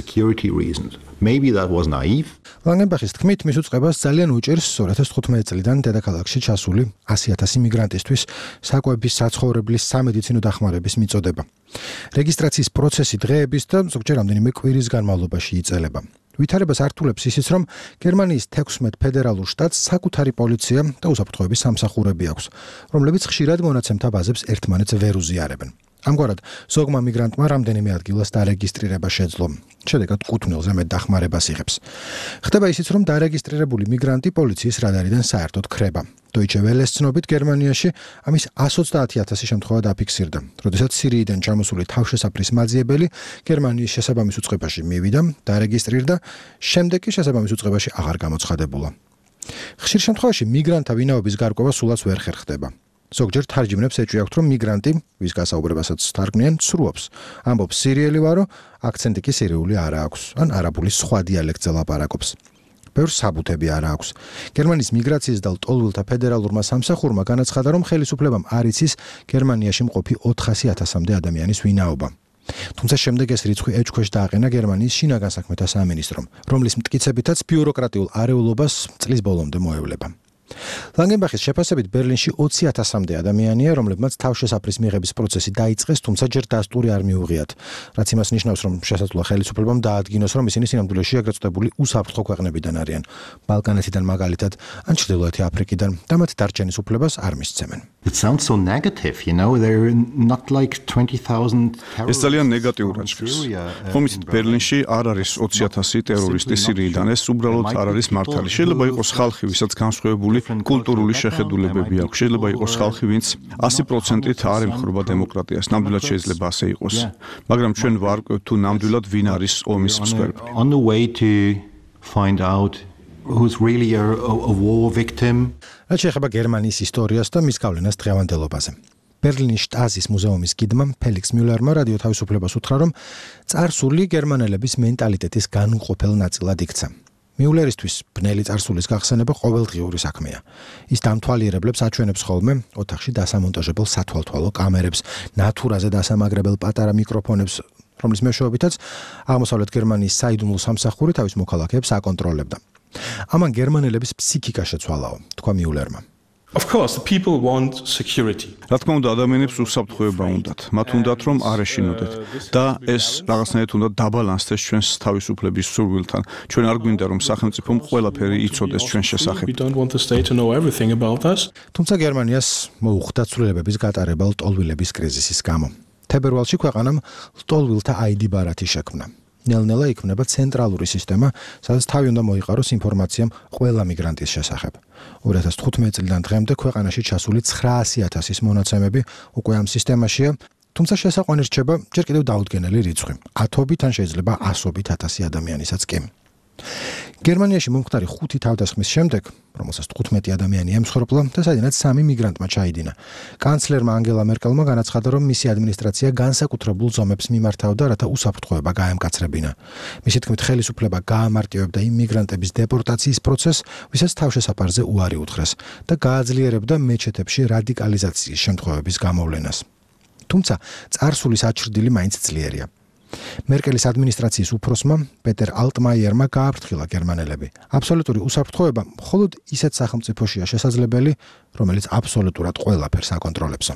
ლანგენბახის თქმით, მის უწყებას ძალიან უჭირს 2015 წლიდან დედაქალაქში ჩასული 100,000 მიგრანტისთვის საკვების საცხოვრებლის სამედიცინო დახმარების მიწოდება. რეგისტრაციის პროცესი დღეების და ზოგჯერ რამდენიმე კვირის განმავლობაში იწელება. ვითარებას ართულებს ისიც, რომ გერმანიის 16 ფედერალურ შტატს საკუთარი პოლიცია და უსაფრთხოების სამსახურები აქვს, რომლებიც ხშირად მონაცემთა ბაზებს ერთმანეთს ვერ უზიარებენ. ამგვარად, ზოგმა მიგრანტმა რამდენიმე ადგილას დარეგისტრირება შეძლო. შედეგად კუთვნილზე მეტ დახმარებას იღებს. ხდება ისიც, რომ დარეგისტრირებული მიგრანტი პოლიციის რადარიდან საერთოდ ქრება. Deutsche Welle-ს ცნობით გერმანიაში ამის 130,000 შემთხვევა დაფიქსირდა, როდესაც სირიიდან ჩამოსული თავშესაფრის მაძიებელი გერმანიის შესაბამის უწყებაში მივიდა, დარეგისტრირდა, შემდეგ კი შესაბამის უწყებაში აღარ გამოცხადებულა. ხშირ შემთხვევაში მიგრანტთა ვინაობის გარკვევა სულაც ვერ ხერხდება. ზოგჯერ თარჯიმნებს ეჭვი აქვთ, რომ მიგრანტი, ვის გასაუბრებასაც თარგმნიან, სრულობს. ამბობს სირიელი ვარო, აქცენტი კი სირიული არ აქვს, ან არაბული სხვა დიალექტზე ლაპარაკობს. ბევრს საბუთები არ აქვს. გერმანიის მიგრაციის და ლტოლვილთა ფედერალურმა სამსახურმა განაცხადა, რომ ხელისუფლებამ არ იცის გერმანიაში მყოფი 400,000-მდე ადამიანის ვინაობა. თუმცა შემდეგ ეს რიცხვი ეჭქვეშ დააყენა გერმანიის შინაგან საქმეთა სამინისტრომ, რომლის მტკიცებითაც ბიუროკრატიულ არეულობას წლის ბოლომდე მოევლება. ლანგენბახის შეფასებით ბერლინში 20,000-მდე ადამიანია, რომლებმაც თავშესაფრის მიღების პროცესი დაიწყეს, თუმცა ჯერ დასტური არ მიუღიათ, რაც იმას ნიშნავს, რომ შესაძლოა ხელისუფლებამ დაადგინოს, რომ ისინი სინამდვილეში ეგრეთ წოდებული უსაფრთხო ქვეყნებიდან არიან, ბალკანეთიდან მაგალითად, ან ჩრდილოეთი აფრიკიდან და მათ დარჩენის უფლებას არ მისცემენ. It sounds so negative, there are not like 20,000 ეს ძალიან ნეგატიურად ჟღერს. ხომ იცით, ბერლინში არ არის 20,000 ტერორისტი სირიიდან, ეს უბრალოდ არ არის მართალი. შეიძლება იყოს ხალხი, ვისაც განსხვავებული კულტურული შეხედულებები აქვს. შეიძლება იყოს ხალხი, ვინც 100%-ით არ ემხრობა დემოკრატიას. ნამდვილად შეიძლება ასე იყოს. მაგრამ ჩვენ ვარკვევთ თუ ნამდვილად ვინ არის ომის მსხვერპლი. On the way to find out who's really a war victim. რაც შეეხება გერმანიის ისტორიას და მის გავლენას დღევანდელობაზე. ბერლინის შტაზის მუზეუმის გიდმა ფელიქს მიულერმა რადიო თავისუფლებას უთხრა, რომ წარსული გერმანელების მენტალიტეტის განუყოფელ ნაწილად იქცა. მიულერისთვის ბნელი წარსულის გახსენება ყოველდღიური საქმეა. ის დამთვალიერებლებს აჩვენებს ხოლმე ოთახში დასამონტაჟებელ სათვალთვალო კამერებს, ნატურაზე დასამაგრებელ პატარა მიკროფონებს, რომლის მეშვეობითაც აღმოსავლეთ გერმანიის საიდუმლო სამსახური თავის მოქალაქეებს აკონტროლებდა. ამან გერმანელების ფსიქიკა შეცვალაო, თქვა მიულერმა. Of course, the people want security. რა თქმა უნდა, ადამიანებს უსაფრთხოება უნდათ. მათ უნდათ, რომ არ ეშინოდეთ და ეს რაღაცნაირად უნდა დაბალანსდეს ჩვენს თავისუფლების სურვილთან. ჩვენ არ გვინდა, რომ სახელმწიფომ ყველაფერი იცოდეს ჩვენ შესახებ. We don't want the state to know everything about us. თუმცა გერმანიას მოუხდა ცვლილებების გატარება ლტოლვილების კრიზისის გამო. თებერვალში ქვეყანამ ლტოლვილთა ID ბარათი შექმნა. ნელ-ნელა იქმნება ცენტრალური სისტემა, სადაც თავი უნდა მოიყაროს ინფორმაციამ ყველა მიგრანტის შესახებ. 2015 წლიდან დღემდე ქვეყანაში ჩასული 900,000-ის მონაცემები უკვე ამ სისტემაშია, თუმცა შესაყვანი რჩება ჯერ კიდევ დაუდგენელი რიცხვი. 10-ობით ან შეიძლება 100-ობით 1000 ადამიანისაც კი. გერმანიაში მომხდარი 5 თავდასხმის შემდეგ, რომელსაც 15 ადამიანი ემსხვერპლა და სადაც 3 მიგრანტმა ჩაიდინა, კანცლერმა ანგელა მერკელმა განაცხადა, რომ მისი ადმინისტრაცია განსაკუთრებულ ზომებს მიმართავდა, რათა უსაფრთხოება გაემკაცრებინა. მისი თქმით, ხელისუფლება გაამარტივებდა იმ მიგრანტების დეპორტაციის პროცესს, ვისაც თავშესაფარზე უარი უთხრეს და გააძლიერებდა მეჩეთებში რადიკალიზაციის შემთხვევების გამოვლენას. თუმცა წარსულის აჩრდილი მაინც ძლიერია. მერკელის ადმინისტრაციის უფროსმა პეტერ ალტმაიერმა გააფრთხილა გერმანელები. აბსოლუტური უსაფრთხოება მხოლოდ ისეთ სახელმწიფოშია შესაძლებელი, რომელიც აბსოლუტურად ყველაფერს აკონტროლებსო.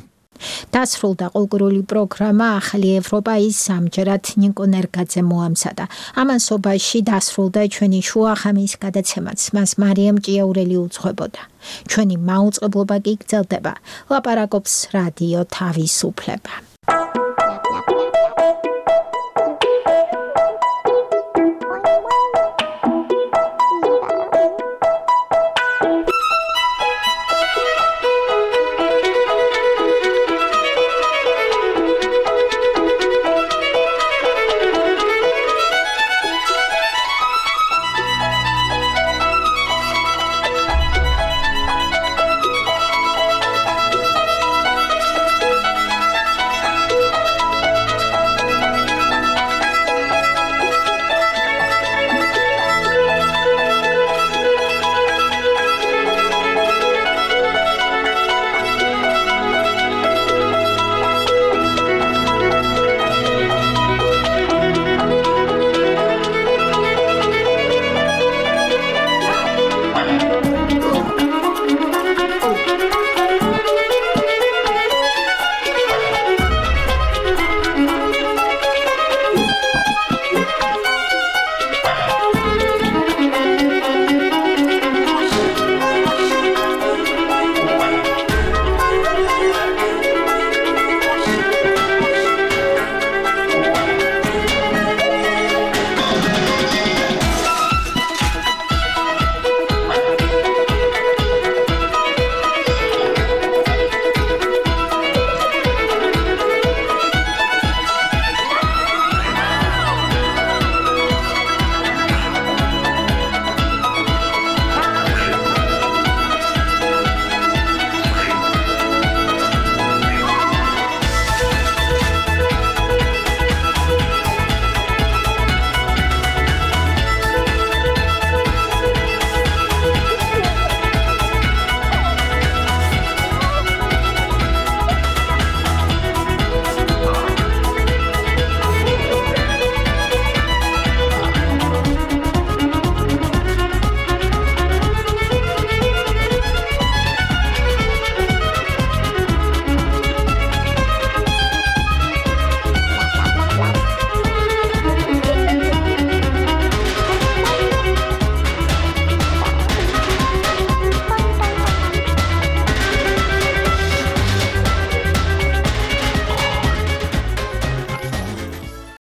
დასრულდა კულტურული პროგრამა ახალი ევროპა ის ამჯერად ნიკო ნერგაძე მოამზადა. ამასობაში დასრულდა ჩვენი შუახამის გადაცემაც, მას მარიამ ჭიაურელი უძღვებოდა. ჩვენი მაუწყებლობა კი გრძელდება. ლაპარაკობს რადიო თავისუფლება.